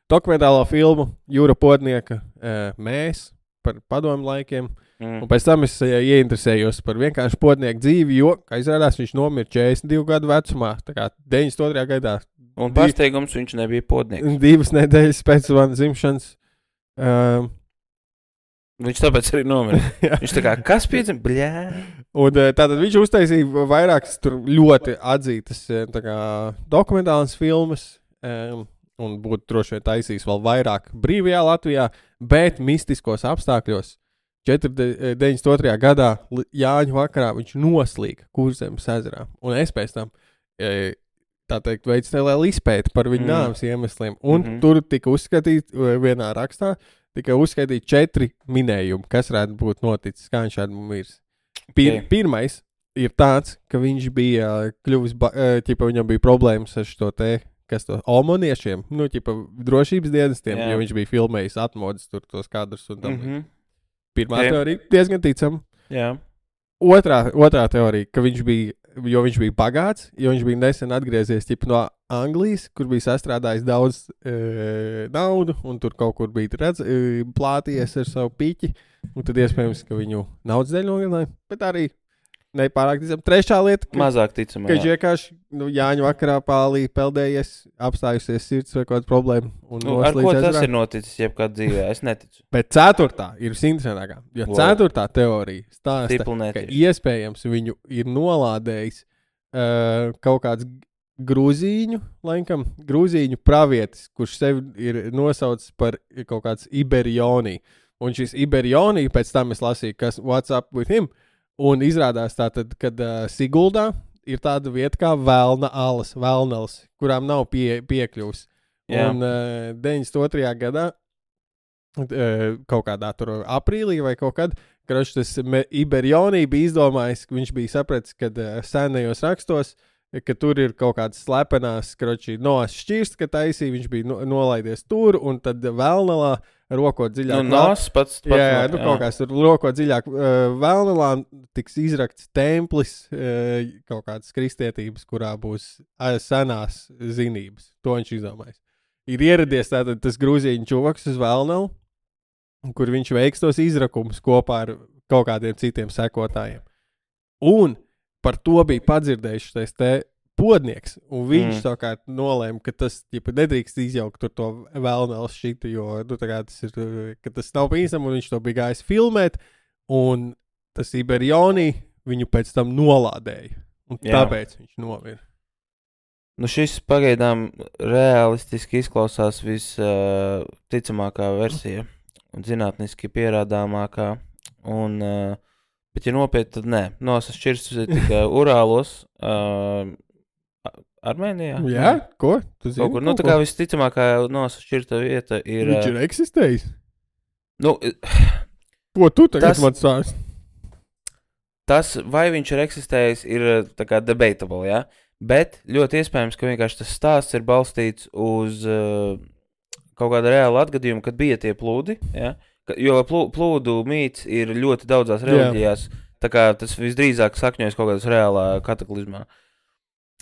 dokumentālo filmu Jūra Podnieka uh, Mēs par padomu laikiem. mm. Un pēc tam es uh, ieinteresējos par vienkārši podnieku dzīvi, jo, kā izrādās, viņš nomira četrdesmit divu gadu vecumā, tā kā deviņdesmit otrajā gadā. Un pārsteigums viņš nebija podnieks. Divas nedēļas pēc manas dzimšanas. Um, Viņš tāpēc arī nomira. jā. Viņš tā kā, kas piedzim? Bļā. Un uh, tātad viņš uztaisīja vairākas tur ļoti atzītas uh, tā kā dokumentālas filmas, um, un būtu droši vien taisījis vēl vairāk brīvajā Latvijā, bet mistiskos apstākļos. deviņdesmit otrajā gadā li- Jāņu vakarā viņš noslīga Kurzemes ezerā. Un es pēc tam, e, tā teikt, veicu nelielu izpēti par viņa Mm. mm. nāves iemesliem. Un Mhm. mm-hmm. tur tika uzskatīts, e, vienā rakstā, tika uzskaitīti četri minējumi, kas varētu būt noticis, kā viņš šādi mirs. Pir, Ok. Pirmais ir tāds, ka viņš bija kļuvis, ba- e, ķipa, viņam bija problēmas ar šo te, kas to omoniešiem, nu, ķipa, drošības dienestiem, Jā. jo viņš bija filmējis atmodas tur tos kadrus un tam. Mm -hmm. Mhm. Pirmā Ok. teorija diezgan ticama. Jā. otrā, otrā teorija, ka viņš bija, jo viņš bija bagāts, jo viņš bija nesen atgriezies ķip, no Anglijas, kur bija sastrādājis daudz e, naudu, un tur kaut kur bija redz, e, plāties ar savu piķi, un tad iespējams, ka viņu naudas dēļ nogalināja, bet arī nepārāk ticam. Trešā lieta, ka, Mazāk ticam, ka viņš vienkārši nu, Jāņu vakarā pālī peldējies, apstājusies sirds vai kāda problēma. Un Nu, ar ko tas ezerā. ir noticis jebkād dzīvē? Es neticu. Bet ceturtā ir interesantākā, jo Wow. ceturtā teorija stāsta, Stipli ka netieši. iespējams viņu ir nolādējis uh, kaut kāds grūzīņu, laikam, grūzīņu pravietis, kurš sevi ir nosaucis par kaut kāds Iberionī. Un šis Iberionī, pēc tam es lasīju, kas what's up with him, un izrādās tātad, kad uh, Siguldā ir tāda vieta kā Velna alas, Velnals, kurām nav pie, piekļuvs. Jā. Un uh, deviņdesmit otrajā gadā, uh, kaut kādā tur aprīlī vai kaut kad, kroč, tas me- Iberionī bija izdomājis, ka viņš bija sapratis, kad uh, senajos rakstos, ka tur ir kaut kādas slepenās, kroči, noas šķirst, ka taisī, viņš bija no, nolaidies tur, un tad Velnalā rokot dziļāk. Nu, nos pats, pats Jā, jā, no- nu, kaut kāds tur rokot dziļāk. Uh, Velnalā tiks izrakts templis, uh, kaut kādas kristietības, kurā būs uh, senās zinības. To viņš izdomājis. Ir ieradies tātad tas grūzīņu čuvaks uz Velnalu, kur viņš veiks tos izrakumus kopā ar kaut kādiem citiem sekotājiem. Un par to bija padzirdējuši tais te podnieks, un viņš Mm. savukārt nolēma, ka tas ģipa, nedrīkst izjaukt tur to Velnals šitu, jo nu, tā kā tas ir, ka tas nav pīsam, un viņš to bija gājis filmēt, un tas Iberionī viņu pēc tam nolādēja, un Jā. tāpēc viņš nomira. Nu, šis pagaidām realistiski izklausās visticamākā uh, versija un zinātniski pierādāmākā. Un, uh, bet, ja nopietni, tad nē. Nosas šķirsts tikai Urālos, uh, Armēnijā. Jā, ko? Tu zini Kaut kur, nu, kaut tā kā visticamākā nosas šķirta vieta ir. Viņš ir eksistējis. Nu, Ko tu tagad Tas- man stāsti? tas, vai viņš ir eksistējis, ir uh, tā kā debatable, jā. Bet ļoti iespējams, ka vienkārši tas stāsts ir balstīts uz uh, kaut kādu reālu atgadījumu, kad bija tie plūdi. Ja? Ka, jo plū, plūdu mīts ir ļoti daudzās reliģijās. Tā kā tas visdrīzāk sakņojas kaut kādā reālā kataklizmā.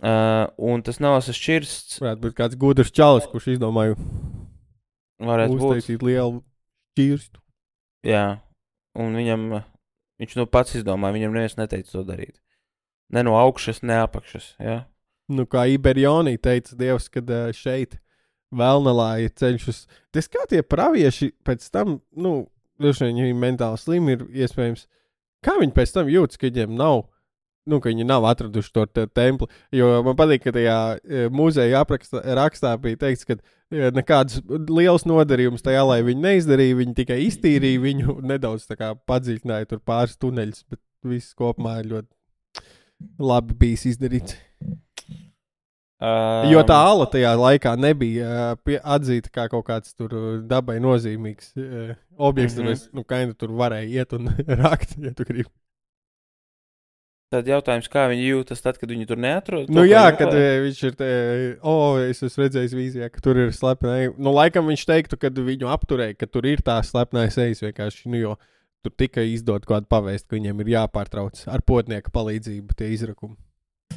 Uh, un tas nav sašķirsts. Varētu būt kāds gudrs čalis, kurš izdomāja Varētu būt. uztaisīt lielu šķirstu. Jā. Un viņam, uh, viņš nu pats izdomāja, viņam neviens neteica to darīt. Ne no augšas, ne apakšas. Ja? Nu, kā Iberionī teica Dievs, kad uh, šeit Velnalā ir ceļš uz... Tas kā tie pravieši pēc tam, nu, droši vien viņi mentāli slimi ir iespējams. Kā viņi pēc tam jūtas, ka viņiem nav, nu, ka viņi nav atraduši to te templi? Jo man patīk, ka tajā e, muzeja aprakstā rakstā bija teikts, ka e, nekādas liels nodarījums tajā, lai viņi neizdarīja, viņi tikai iztīrīja viņu, nedaudz tā kā padziļināja tur pāris tuneļus, bet viss kopumā ir ļoti labi bijis izdarīts. Um, Jo tā ala tajā laikā nebija uh, pie, atzīta kā kaut kāds tur uh, dabai nozīmīgs uh, objekts, Mhm. mm -hmm. nu, kā tur varēja iet un rakt, ja tu gribi. Tad jautājums, kā viņi jūtas tad, kad viņi tur neatrod? Nu To, ko jā, viņi kad meklē? uh, viņš ir te, o, oh, es esmu redzējis vīzijā, ka tur ir slepeni. Nu, laikam viņš teiktu, kad viņu apturēja, ka tur ir tā slepenais ejas vienkārši, nu, jo tur tikai izdod kādu pavēst, ka viņiem ir jāpārtrauc ar potnieka palīdzību tie izrakumi.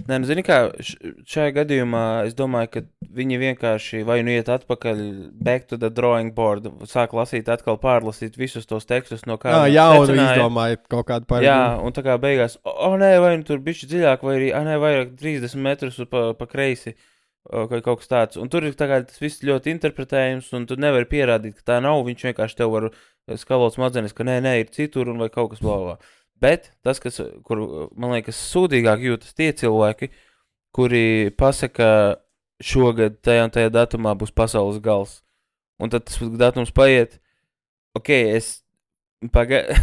Nē, nu, zini kā, š- šajā gadījumā es domāju, ka viņi vienkārši vai nu iet atpakaļ, back to the drawing board, sāk lasīt atkal, pārlasīt visus tos tekstus, no kā Jā, viņi jā, un secināja. izdomājot kaut kādu Jā, paradigmu. un tā kā beigās, o, o nē, vai nu tur bišķi dziļāk, vai arī, a, nē, vairāk trīsdesmit metrus pa, pa kreisi, o, vai kaut kas tāds. Un tur ir tā kā tas viss ļoti interpretējums, un tu nevari pierādīt, ka tā nav, viņš vienkārši tev var skalot smadzenes, ka nē, nē, ir citur, un vai kaut kas blāvā. Bet tas, kas, kur, man liekas, sūdīgāk jūtas tie cilvēki, kuri pasaka, šogad tajā un tajā datumā būs pasaules gals. Un tad tas datums paiet, ok, es pagaidu,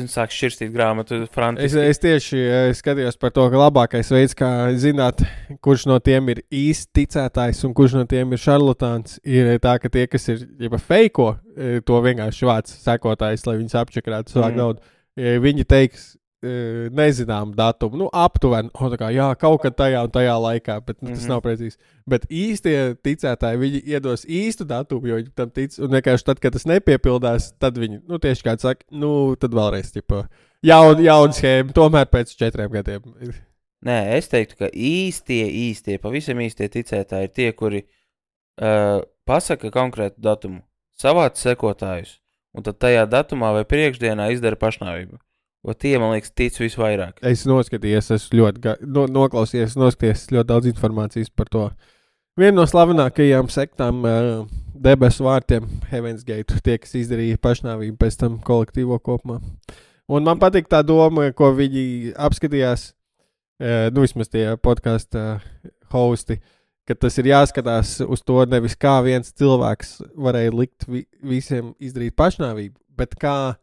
sāku šķirstīt grāmatu Es, frantiski. es tieši eh, skatījos par to, ka labākais veids, kā zināt, kurš no tiem ir īsti ticētājs un kurš no tiem ir šarlatāns, ir tā, ka tie, kas ir jau feiko, eh, to vienkārši vāc sekotājs, lai viņus apčakrētu savā Mm. naudu. Eh, Viņi teiks, uh, nezinām datumu. Nu, aptuveni, oh, tā kā, jā, kaut kad tajā un tajā laikā, bet nu, tas Mhm. mm-hmm. nav precīzi. Bet īstie ticētāji, viņi iedos īstu datumu, jo viņi tam tic. Un vienkārši tad, kad tas nepiepildās, tad viņi, nu, tieši kā saka, nu, tad vēlreiz, ķipa, jaun, jauna schēma, tomēr pēc četriem gadiem. Nē, es teiktu, ka īstie, īstie, pavisam īstie ticētāji ir tie, kuri uh, pasaka konkrētu datumu, savāc sekotājus, un tad tajā datumā vai priekšdienā izdara pašnāvību. O tie, man liekas, tic visvairāk. Es noskatījies, esmu ļoti, ga- no, noklausījies, noskatījies ļoti daudz informācijas par to. Viena no slavenākajām sektām uh, debesu vārtiem, Heaven's Gate, tie, kas izdarīja pašnāvību pēc tam kolektīvo kopumā. Un man patīk tā doma, ko viņi apskatījās, uh, nu vismaz tie podkāstu uh, hosti, ka tas ir jāskatās uz to nevis kā viens cilvēks varēja likt vi- visiem izdarīt pašnāvību, bet kā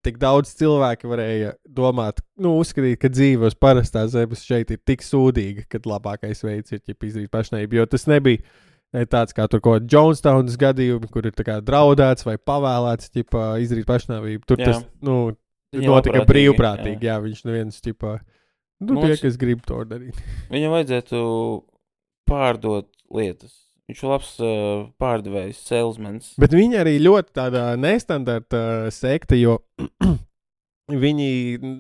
tik daudz cilvēki varēja domāt, nu, uzskatīt, ka dzīve uz parastās zemes šeit ir tik sūdīga, ka labākais veids ir ķip, izdarīt pašnāvību. Jo tas nebija ne, tāds kā tur kaut kāda Jonestownas gadījumi, kur ir tā kā draudēts vai pavēlēts ķip, izdarīt pašnāvību. Tur Jā. tas nu, Viņa notika labprātīgi, brīvprātīgi. jā. Jā, viņš neviens ķipā, nu, Mums- tie, kas grib to darīt. Viņam vajadzētu pārdot lietas. Viņš ir labs uh, pārdevējs, salesmans. Bet viņi arī ļoti tāda nestandarta uh, sekta, jo viņi,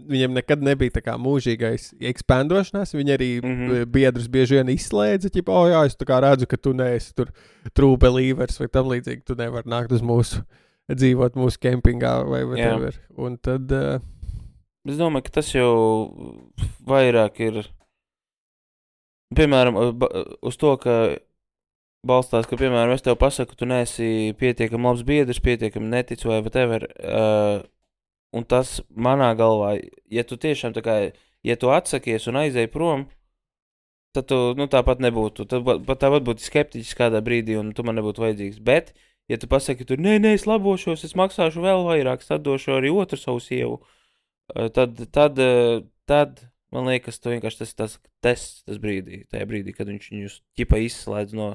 viņiem nekad nebija tā kā mūžīgais ekspandošanās. Viņi arī Mhm. mm-hmm. biedrus bieži vien izslēdza, ķipa, o jā, es tā kā redzu, ka tu neesi tur true believers vai tam līdzīgi, tu nevari nākt uz mūsu, dzīvot mūsu kempingā vai whatever. Un tad, uh, Es domāju, ka tas jau vairāk ir, piemēram, ba- uz to, ka balstās, ka, piemēram, es tev pasaku, tu neesi pietiekami labs biedrs, pietiekami netic vai whatever, uh, un tas manā galvā, ja tu tiešām tā kā, ja tu atsakies un aizēji prom, tad tu, nu, tāpat nebūtu, tad ba- pat tāpat būtu skeptiķis kādā brīdī un tu man nebūtu vajadzīgs, bet, ja tu pasaki, tu, nē, nē, es labošos, es maksāšu vēl vairāk, tad došu arī otru savu sievu, uh, tad, tad, uh, tad, man liekas, tu vienkārši tas, tas tests, tas brīdī, tajā brīdī, kad viņš viņus ķipa izslēdz no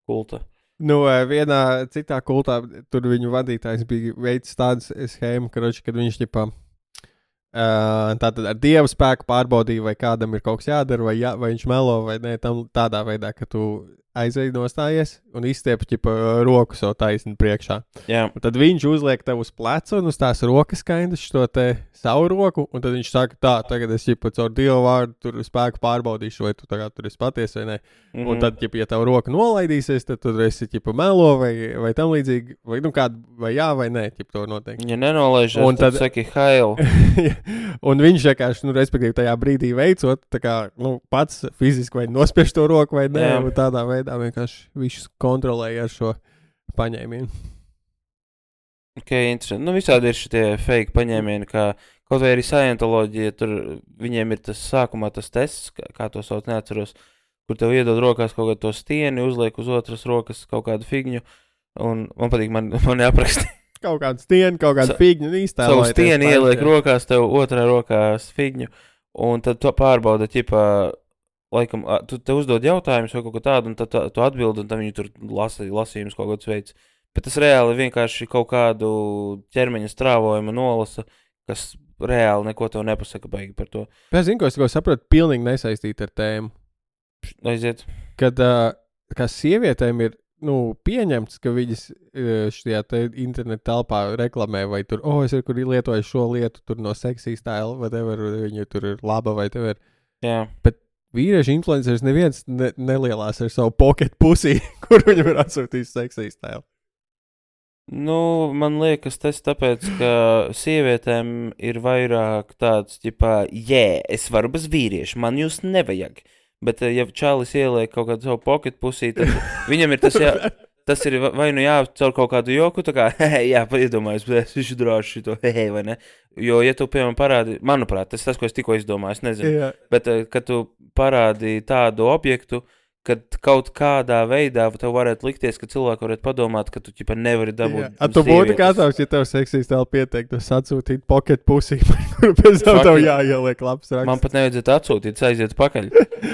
kulta. nu, uh, vienā citā kultā tur viņu vadītājs bija veids tādas schēmu, karoči, kad viņš ķipā, uh, tātad ar dievu spēku pārbaudīja, vai kādam ir kaut kas jādara, vai, jā, vai viņš melo, vai nē, tam tādā veidā, ka tu aizēji nostājies un izstiep ķipa roku savu taisni priekšā. Jā, Un tad viņš uzliek tev uz pleca un uz tās rokas skaidrs šo te savu roku, un tad viņš saka, tā, tagad es ķipa caur dievu vārdu tur spēku pārbaudīšu, vai tu tagad tur esi paties vai nē. mhm. Un tad, ķipa, ja tev roka nolaidīsies, tad tu esi ķipa melo vai, vai tam līdzīgi, vai nu kādu, vai jā, vai nē, ķipa to noteikti. Ja nenolaižas, Un tad, tad- tad saki, hail. Un viņš vienkārši, nu, respektīvi, tajā brīdī veicot, tā kā, nu, pats fiziski vai nospiež to roku vai nē, Jā. un tādā veidā vienkārši viņš kontrolēja ar šo paņēmienu. Ok, interesanti. Nu, visādi ir šitie fake paņēmieni, kā kaut vai arī scientoloģija, tur viņiem ir tas sākumā tas tests, kā, kā to sauc, neatceros, kur tev iedod rokās kaut kādu to stieni, uzliek uz otras rokas kaut kādu figņu, un man patīk, man, man jāapraksta. Kaut kādu stieni, kaut kādu Sa- figņu īstā. Savu stieni ieliek rokās, tev otrā rokās figņu, un tad tu pārbauda, ķipā, laikam, a, tu te uzdod jautājumus vai kaut ko tādu, un tad tu, tu atbildi, un tad viņi tur lasa, lasījums kaut kāds veids. Bet tas reāli vienkārši kaut kādu ķermeņa strāvojumu nolasa, kas reāli neko tev nepasaka baigi par to. Es zinu, ko es tikko saprotu, pilnīgi nesaistīti ar tēmu. Aiziet. Kad uh, kā sievietēm ir nu, pieņemts, ka viņas uh, šajā te interneta telpā reklamē, vai tur, oh, es ir kur lietoju šo lietu, tur no seksīs tēla, vai tev viņa tur ir laba, vai tev ir. Jā. Bet vīriešu influenceris neviens ne, nelielās ar savu pocket pusī, kur viņam ir atsūtījis seksīs tēlu. Nu, man liekas, tas tāpēc, ka sievietēm ir vairāk tāds, ģipā, jē, es varu bez vīrieša, man jūs nevajag. Bet, ja čalis ieliek kaut kādu savu pocket pusī, tad viņam ir tas, jā, tas ir vai nu jācaur kaut kādu joku, tā kā, hehe, jā, iedomājos, bet es drāšu šito, hehe, vai ne? Jo, ja tu, piemēram, parādi, manuprāt, tas tas, ko es tikko izdomāju, es nezinu, Jā. bet, kad tu parādi tādu objektu, kad kaut kādā veidā tev varētu likties, ka cilvēki varētu padomāt, ka tu ķipa nevari dabūt. A tu būtu gatavs, ja tev seksīs tēlu pieteikt, tas atsūtīt pocket pusī, kuru pēc tam tev Fucking- jāieliek labs raksts. Man pat nevajadzētu atsūtīt, aiziet pakaļ.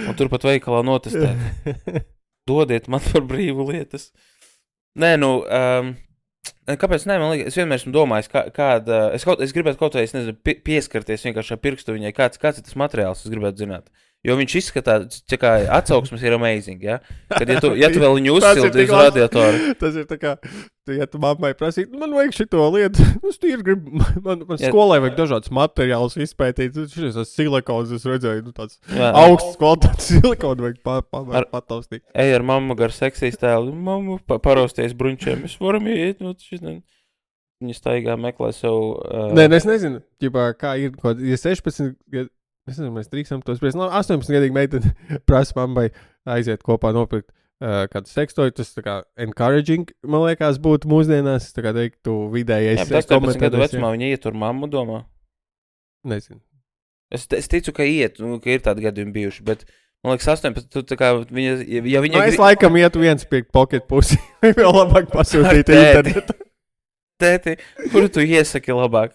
Un turpat veikalā notestēt. Dodiet man par brīvu lietas. Nē, nu, um, Kāpēc ne? Man liekas, es vienmēr esmu domājis, kā, kāda, es, kaut, es gribētu kaut vai, es nezinu, pie, pieskarties vienkārši ar pirkstu viņai, kāds, kāds ir tas materiāls, es gribētu zināt. Jo viņš izskatās, kā atsauksmes ir amazing, ja? Kad, ja tu, ja tu vēl viņu uzsildi uz radiatoru. Tas ir tā kā, ja tu mammai prasīt, man vajag šito lietu, es tīri gribu, man, man skolai vajag dažādas materiālus izpētīt, šis ir silikons, es redzēju, nu tāds jā, augsts kvalitātes silikonu vajag pa, pa, pa, pataustīt. Ej ar mammu gar seksijas tēlu, mammu pa, parausties bruņčiem, mēs varam iet, nu, šis ne... Viņa staigā meklē savu... Uh... Nē, es nezinu, ģipā, kā ir, kaut, ja sešpadsmit gadu, es nezinu, mēs drīkstam tos spriest, no astoņpadsmit gadīgi meiteni prasa mammai aiziet kopā nopirkt uh, kādu sekstoju, tas tā kā encouraging, man liekas, būtu mūsdienās, tā kā teiktu vidējais. Jā, bet astoņpadsmit gadu vecumā viņa iet tur mammu domā? Nezinu. Es, es ticu, ka iet, nu, ka ir tādi gadījumi bijuši, bet man liekas, astoņpadsmit, tu tā kā viņa, ja viņa... No, es laikam ietu viens pirkt pocket pusi, vai vēl labāk pasūtīt internetu. Tēti, kuru tu iesaki labāk?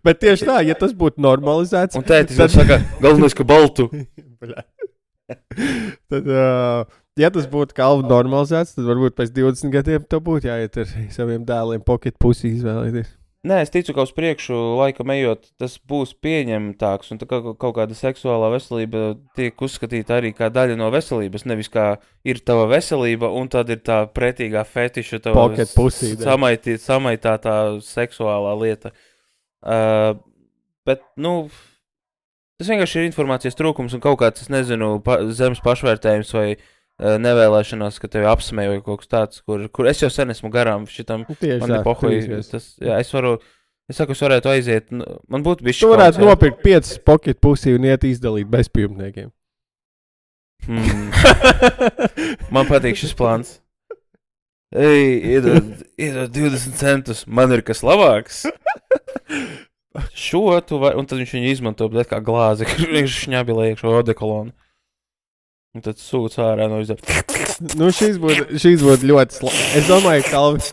Bet tieši tā, ja tas būtu normalizēts... Un tētis tad... saka, galvenais, ka baltu. Tad, uh, ja tas būtu kalvu normalizēts, tad varbūt pēc divdesmit gadiem to būtu jāiet ar saviem dēliem pocket pusi izvēlēties. Nē, es ticu, ka uz priekšu laikam ejot, tas būs pieņemtāks, un tā kā kaut kāda seksuālā veselība tiek uzskatīta arī kā daļa no veselības, nevis kā ir tava veselība, un tad ir tā pretīgā fetiša, tava samaitī, samaitātā seksuālā lieta. Uh, bet, nu, tas vienkārši ir informācijas trūkums un kaut kāds, es nezinu, pa, zemes pašvērtējums vai uh, nevēlēšanās, ka tevi apsmēja vai kaut kas tāds, kur, kur es jau sen esmu garām šitam. Tieši tā, tas, jā, es varu, es saku, es varētu aiziet, man būtu bišķi tu varētu kauts, nopirkt piecas pocket pusi un iet izdalīt bezpajumtniekiem. Hmm. Man patīk šis plāns. Ej, iedod, iedod divdesmit centus, man ir kas labāks. Šo tu vai, un tad viņš viņu izmanto, bet kā glāzi, viņš šņabilē iekšo odekolonu. Un tad sūc ārā no izdara. Nu, šīs būtu, šīs būtu ļoti, sla... es domāju, Kalvi,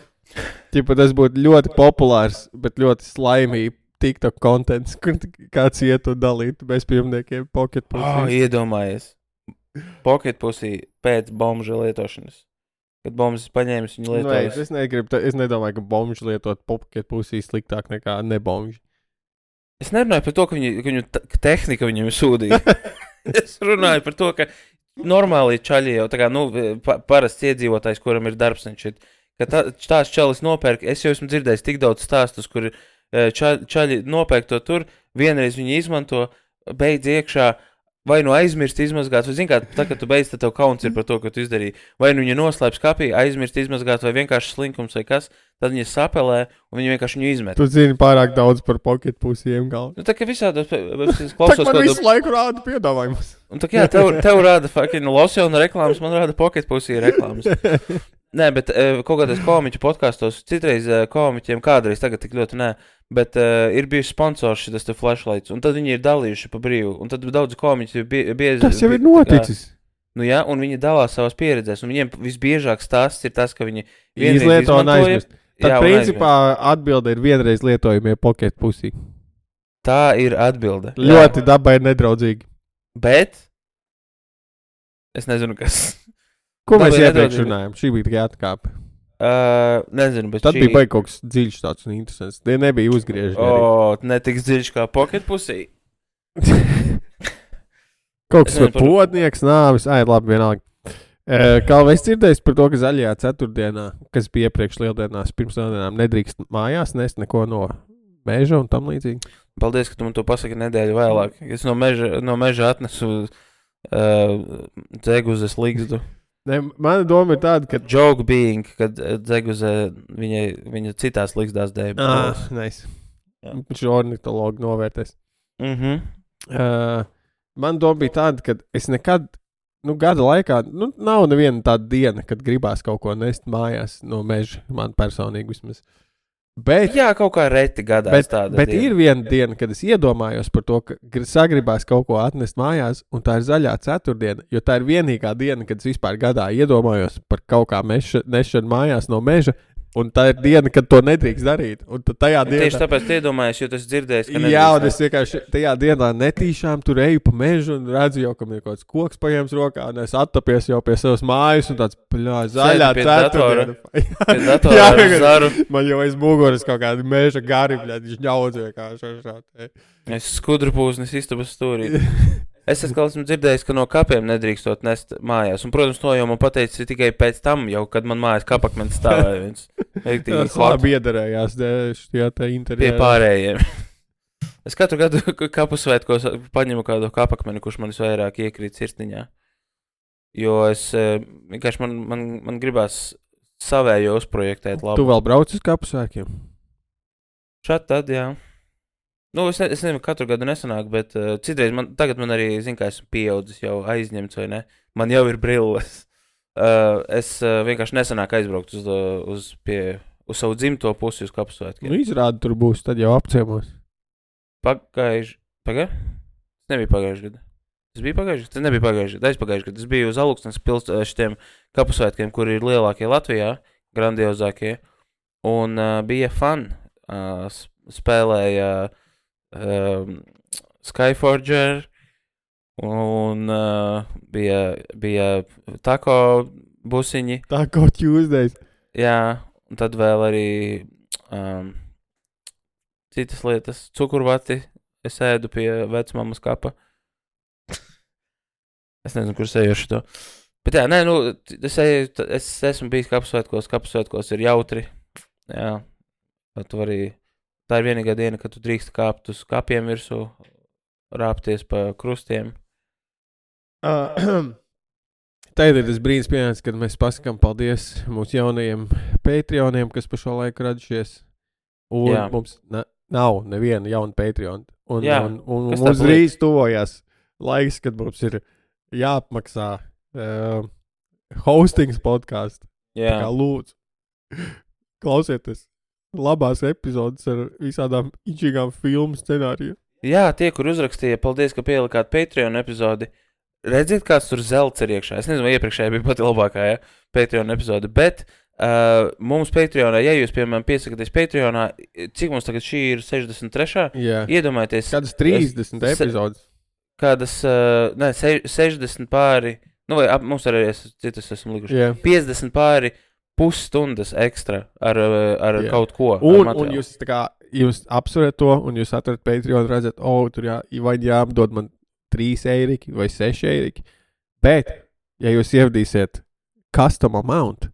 ķipa, tas būtu ļoti populārs, bet ļoti slaimīgi TikTok kontents, kur kāds iet un dalīt bezpajumtniekiem pocket pusi. Oh, iedomājies. Pocket pusi pēc bomža lietošanas. Kad bombas paņēmis, viņi lietojas. Nu, es, negribu, es nedomāju, ka bomži lietot pocket pusī sliktāk nekā nebomži. Es nerunāju par to, ka, viņi, ka viņu t- tehnika viņam sūdīja. Es runāju par to, ka normāli čaļi jau, tā kā, nu, pa, parasts iedzīvotājs, kuram ir darbs un šit, ka tā, tās čalis nopērk, es jau esmu dzirdējis tik daudz stāstus, kur čaļi, čaļi nopērk to tur, vienreiz viņi izmanto, beidz iekšā, vai nu aizmirst izmazgāt, vai zin kā, tā, kad tu beidz, tad tev kauns ir par to, ko tu izdarīji. Vai nu viņa noslēp skapī, aizmirst izmazgāt, vai vienkārši slinkums vai kas, tad viņa sapelē, un viņa vienkārši viņu izmet. Tu zini pārāk daudz par pocket pusiem galvu. Nu, tā kā visādos, es klausos... Tā man visu laiku rāda piedāvājumus. Un tā kā, jā, tev, tev rāda fucking losjona reklāmas, man rāda pocket pusī reklāmas. Nē, bet uh, kaut kādās komiķu podkastos, citreiz uh, komiķiem, kādreiz tagad tik ļoti nē, bet uh, ir bijuši sponsors šitas te flashlights, un tad viņi ir dalījuši pa brīvu, un tad daudz komiķi bie, bieži... Tas jau ir noticis. Kā, nu jā, un viņi dalās savās pieredzēs, un viņiem visbiežāk stāsts ir tas, ka viņi... Izlieto un aizmirst. Tad jā, principā atbilde ir vienreiz lietojumie pocket pusī. Tā ir atbilde. Ļoti dabai nedraudzīgi. Bet... Es nezinu, kas... Ko mēs iepriekš runājam? Šī bija tikai atkāpe. Uh, nezinu, bet Tad šī... bija baigi kaut kas dziļš tāds un interesants. Tie nebija uzgrieži. O, oh, netiks dziļš kā pocket pusī. Kaut kas var potnieks, nāvis. Ai, labi, vienalga. Uh, kā vēl es dzirdēju par to, ka zaļajā ceturtdienā, kas bija iepriekš lieldienās, pirms lieldienām, nedrīkst mājās nest neko no meža un tam līdzīgi. Paldies, ka tu man to pasaki nedēļu vēlāk. Es no meža, no meža atnesu uh, dzeguzes ligzdu. Ne, mana doma ir tāda, ka... Joke being, kad dzeguze viņai, viņa citās ligzdās dēļ. Ah, nice. Viņš ornitologi novērtēs. Mhm. Uh, mana doma bija tāda, ka es nekad, nu, gada laikā, nu, nav neviena tāda diena, kad gribās kaut ko nest mājās no meža, man personīgi vismaz. Bet, jā, kaut kā reti gadās bet, tāda bet diena. Ir viena diena, kad es iedomājos par to, ka sagribās kaut ko atnest mājās, un tā ir zaļā ceturtdiena, jo tā ir vienīgā diena, kad es vispār gadā iedomājos par kaut kā meša, nešanu mājās no meža, Un tā ir diena, kad to nedrīkst darīt. Un tad tajā dienā... Tieši tāpēc iedomājies, jo tas dzirdējis, ka nedrīkst. Jā, un es vienkārši tajā dienā netīšām tur eju pa mežu un redzu jau, ka man ir kaut kāds koks paņēmis rokā, un es attopies jau pie savas mājas, un tāds, pļā, zaļā ceturtdiena. Pie datora Jā, ar zaru. man jau aiz muguras kaut kādi meža gari, bļā, viņš ņaudz vienkārši. Es skudru pūsnis istabas stūrī. Es esmu dzirdējis, ka no kapiem nedrīkstot nest mājās. Un, protams, to jau man pateicis tikai pēc tam, jau, kad man mājās kapakmens stāvēja. Tas labi iedarējās šajā te interjerā. Pie pārējiem. Es katru gadu kapu svētkos paņemu kādu kapakmeni, kurš man visvairāk iekrīt sirsniņā. Jo es vienkārši man, man, man gribās savējo uzprojektēt labi. Tu vēl brauc uz kapu svētkiem? Šādi tad, jā. Nu, es, ne, es nezinu, katru gadu nesanāk, bet uh, citreiz man, tagad man arī, zinu, kā esmu pieaudzis, jau aizņemts vai ne, man jau ir brilles. Uh, es uh, vienkārši nesanāk aizbraukt uz, uh, uz, pie, uz savu dzimto pusi uz kapu svētkiem. Nu, izrādi tur būs, tad jau apciemos. Pagājuši, pagājuši? Tas nebija pagājuši gadu. Tas bija pagājuši? Tas nebija pagājuši gadu, aizpagājuši gadu. Tas bija uz Aluksnes pils šitiem kapu svētkiem, kur ir lielākie Latvijā, grandiozākie, un uh, bija fun. Uh, spēlēja Um, Skyforger un uh, bija, bija tako busiņi. Tako Tuesdays. Jā, un tad vēl arī um, citas lietas. Cukurvati es ēdu pie vecmammas kapa. Es nezinu, kur sejoši to. Bet jā, nē, nu, es, eju, es esmu bijis kapsvētkos, kapsvētkos ir jautri. Jā, tu arī... Tā ir vienīgā diena, kad tu drīkst kāpt uz kapiem virsū, rāpties pa krustiem. Uh, Tagad ir tas brīdis pienācis, kad mēs pasakām paldies mūsu jaunajiem Patreoniem, kas pa šo laiku radušies. Un Jā. Mums ne, nav neviena jauna Patreon. Un, Jā, un, un, un mums drīz tuvojās laiks, kad mums ir jāapmaksā uh, hostings podcastu. Jā. Tā kā lūdzu, klausieties. Labās epizodes ar visādām inčīgām filmu scenāriju. Jā, tie, kur uzrakstīja, paldies, ka pielikāt Patreon epizodi. Redziet, kāds tur zelts ir iekšā. Es nezinu, vai iepriekšējā bija pati labākā, ja, Patreon epizode, bet uh, mums Patreonā, ja jūs, piemēram, piesakaties Patreonā, cik mums tagad šī ir sešdesmit trešā? Jā. Iedomājieties. Kādas trīsdesmit es, epizodes? Kādas, uh, ne, se, sešdesmit pāri, nu vai ap, mums arī es, citas esmu likuši. Jā. piecdesmit pāri. Pusstundas ekstra ar, ar yeah. kaut ko. Un, un jūs, tā kā, jūs apsverat to, un jūs atverat Patreon, redzat, o, oh, tur jā, vai jāapdod man trīs eiriki vai seši eiriki. Bet, ja jūs ievadīsiet custom amount,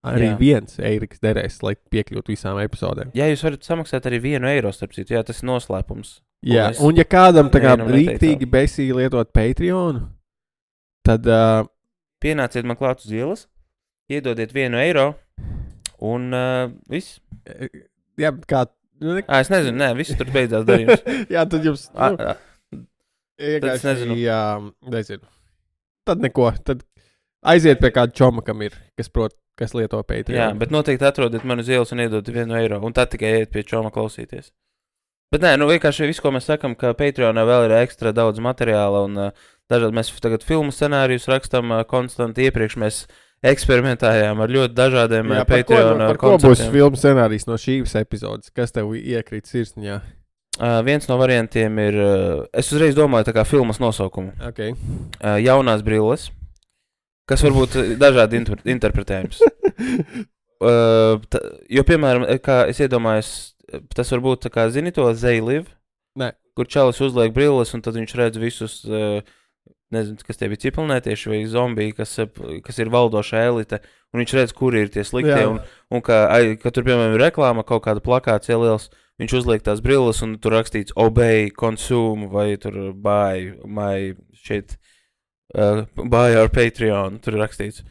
arī jā. viens eiriks derēs, lai piekļūtu visām epizodēm. Jā, jūs varat samaksāt arī vienu eiro, starp citu, jā, tas ir noslēpums. Jā, un, un ja kādam tā kā rīktīgi besīgi lietot Patreonu, tad... Uh, Pienāciet man klāt uz ielas. Iedodiet vienu eiro, un uh, viss. Jā, kā... Nu, ne... Ā, es nezinu, nē, viss tur beidzās darījums. Jā, tad jums... Nu, a, a. Tad es nezinu. Jā, nezinu. Tad neko. Tad aiziet pie kāda čoma, kam ir, kas prot, kas lieto Patreon. Jā, bet noteikti atrodiet mani uz ielas un iedodiet vienu eiro, un tad tikai iet pie čoma klausīties. Bet nē, nu vienkārši viss, ko mēs sakam, ka Patreonā vēl ir ekstra daudz materiāla, un uh, dažādi mēs tagad filmu scenārijus rakstam uh, konstanti. Iepriekš mēs eksperimentējām ar ļoti dažādiem Jā, Patreon par ko, par ko būs filmu scenārijs no šīs epizodes? Kas tev iekrīt sirsniņā? Uh, viens no variantiem ir, uh, es uzreiz domāju tā kā filmas nosaukumu. Okay. Uh, jaunās brilles, kas varbūt dažādi inter interpretējums. uh, ta, jo, piemēram, kā es iedomājos, tas varbūt tā kā, zini to They Live? Nē. Kur čalis uzliek brilles un tad viņš redz visus... Uh, nezinu, kas tie bija cipelnētieši vai zombiji, kas, kas ir valdošā elite, un viņš redz, kuri ir tie sliktie, un, un ka, ka tur, piemēram, ir reklāma, kaut kāda plakāts ieliels, viņš uzliek tās brilles, un tur rakstīts obey, consume, vai tur buy, my shit, uh, buy our Patreon, tur ir rakstīts.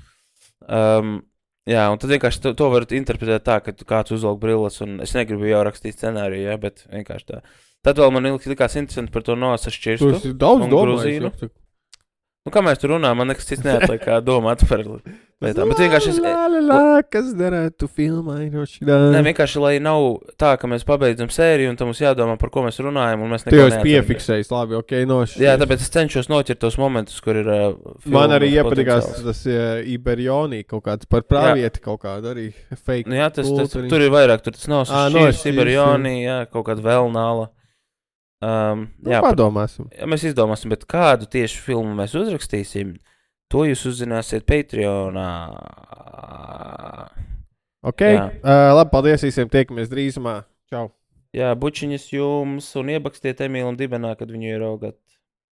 Um, jā, un tad vienkārši to, to var interpretēt tā, ka kāds uzvelk brilles, un es negribu jau rakstīt scenāriju, ja, bet vienkārši tā. Tad vēl man likās interesanti par to nosašķirstu. Tas ir daudz domājis. Nu, kā mēs tur runājam, man nekas cits neatliek, kā domāt par lietām. Bet vienkārši es... Lā, lā, lā, kas derētu filmai no šitā? Nē, vienkārši, lai nav tā, ka mēs pabeidzam sēriju un tam mums jādomā, par ko mēs runājam, un mēs Tu neko jau esi neatceramies. piefiksējis, labi, ok, nošķies. Jā, tāpēc es cenšos noķert tos momentus, kur ir uh, Man arī filmas iepatikās potenciāls. tas uh, Iberionī kaut kāds par pravieti kaut kādu arī fake. Nu jā, tas, tas, kultūriņu. tur ir vairāk, tur tas nav Ā, šķīrs, nošķīrs, Sibirjoni, jā, kaut kāda vēlnāla. Um, Nu, jā, par, padomāsim. jā, mēs izdomāsim, bet kādu tieši filmu mēs uzrakstīsim, to jūs uzzināsiet Patreonā. Ok, Jā. uh, labi, paldies visiem, tiekamies drīzumā. Čau. Jā, bučiņas jums un iebakstiet Emīlu un Dibenā, kad viņu ieraugat.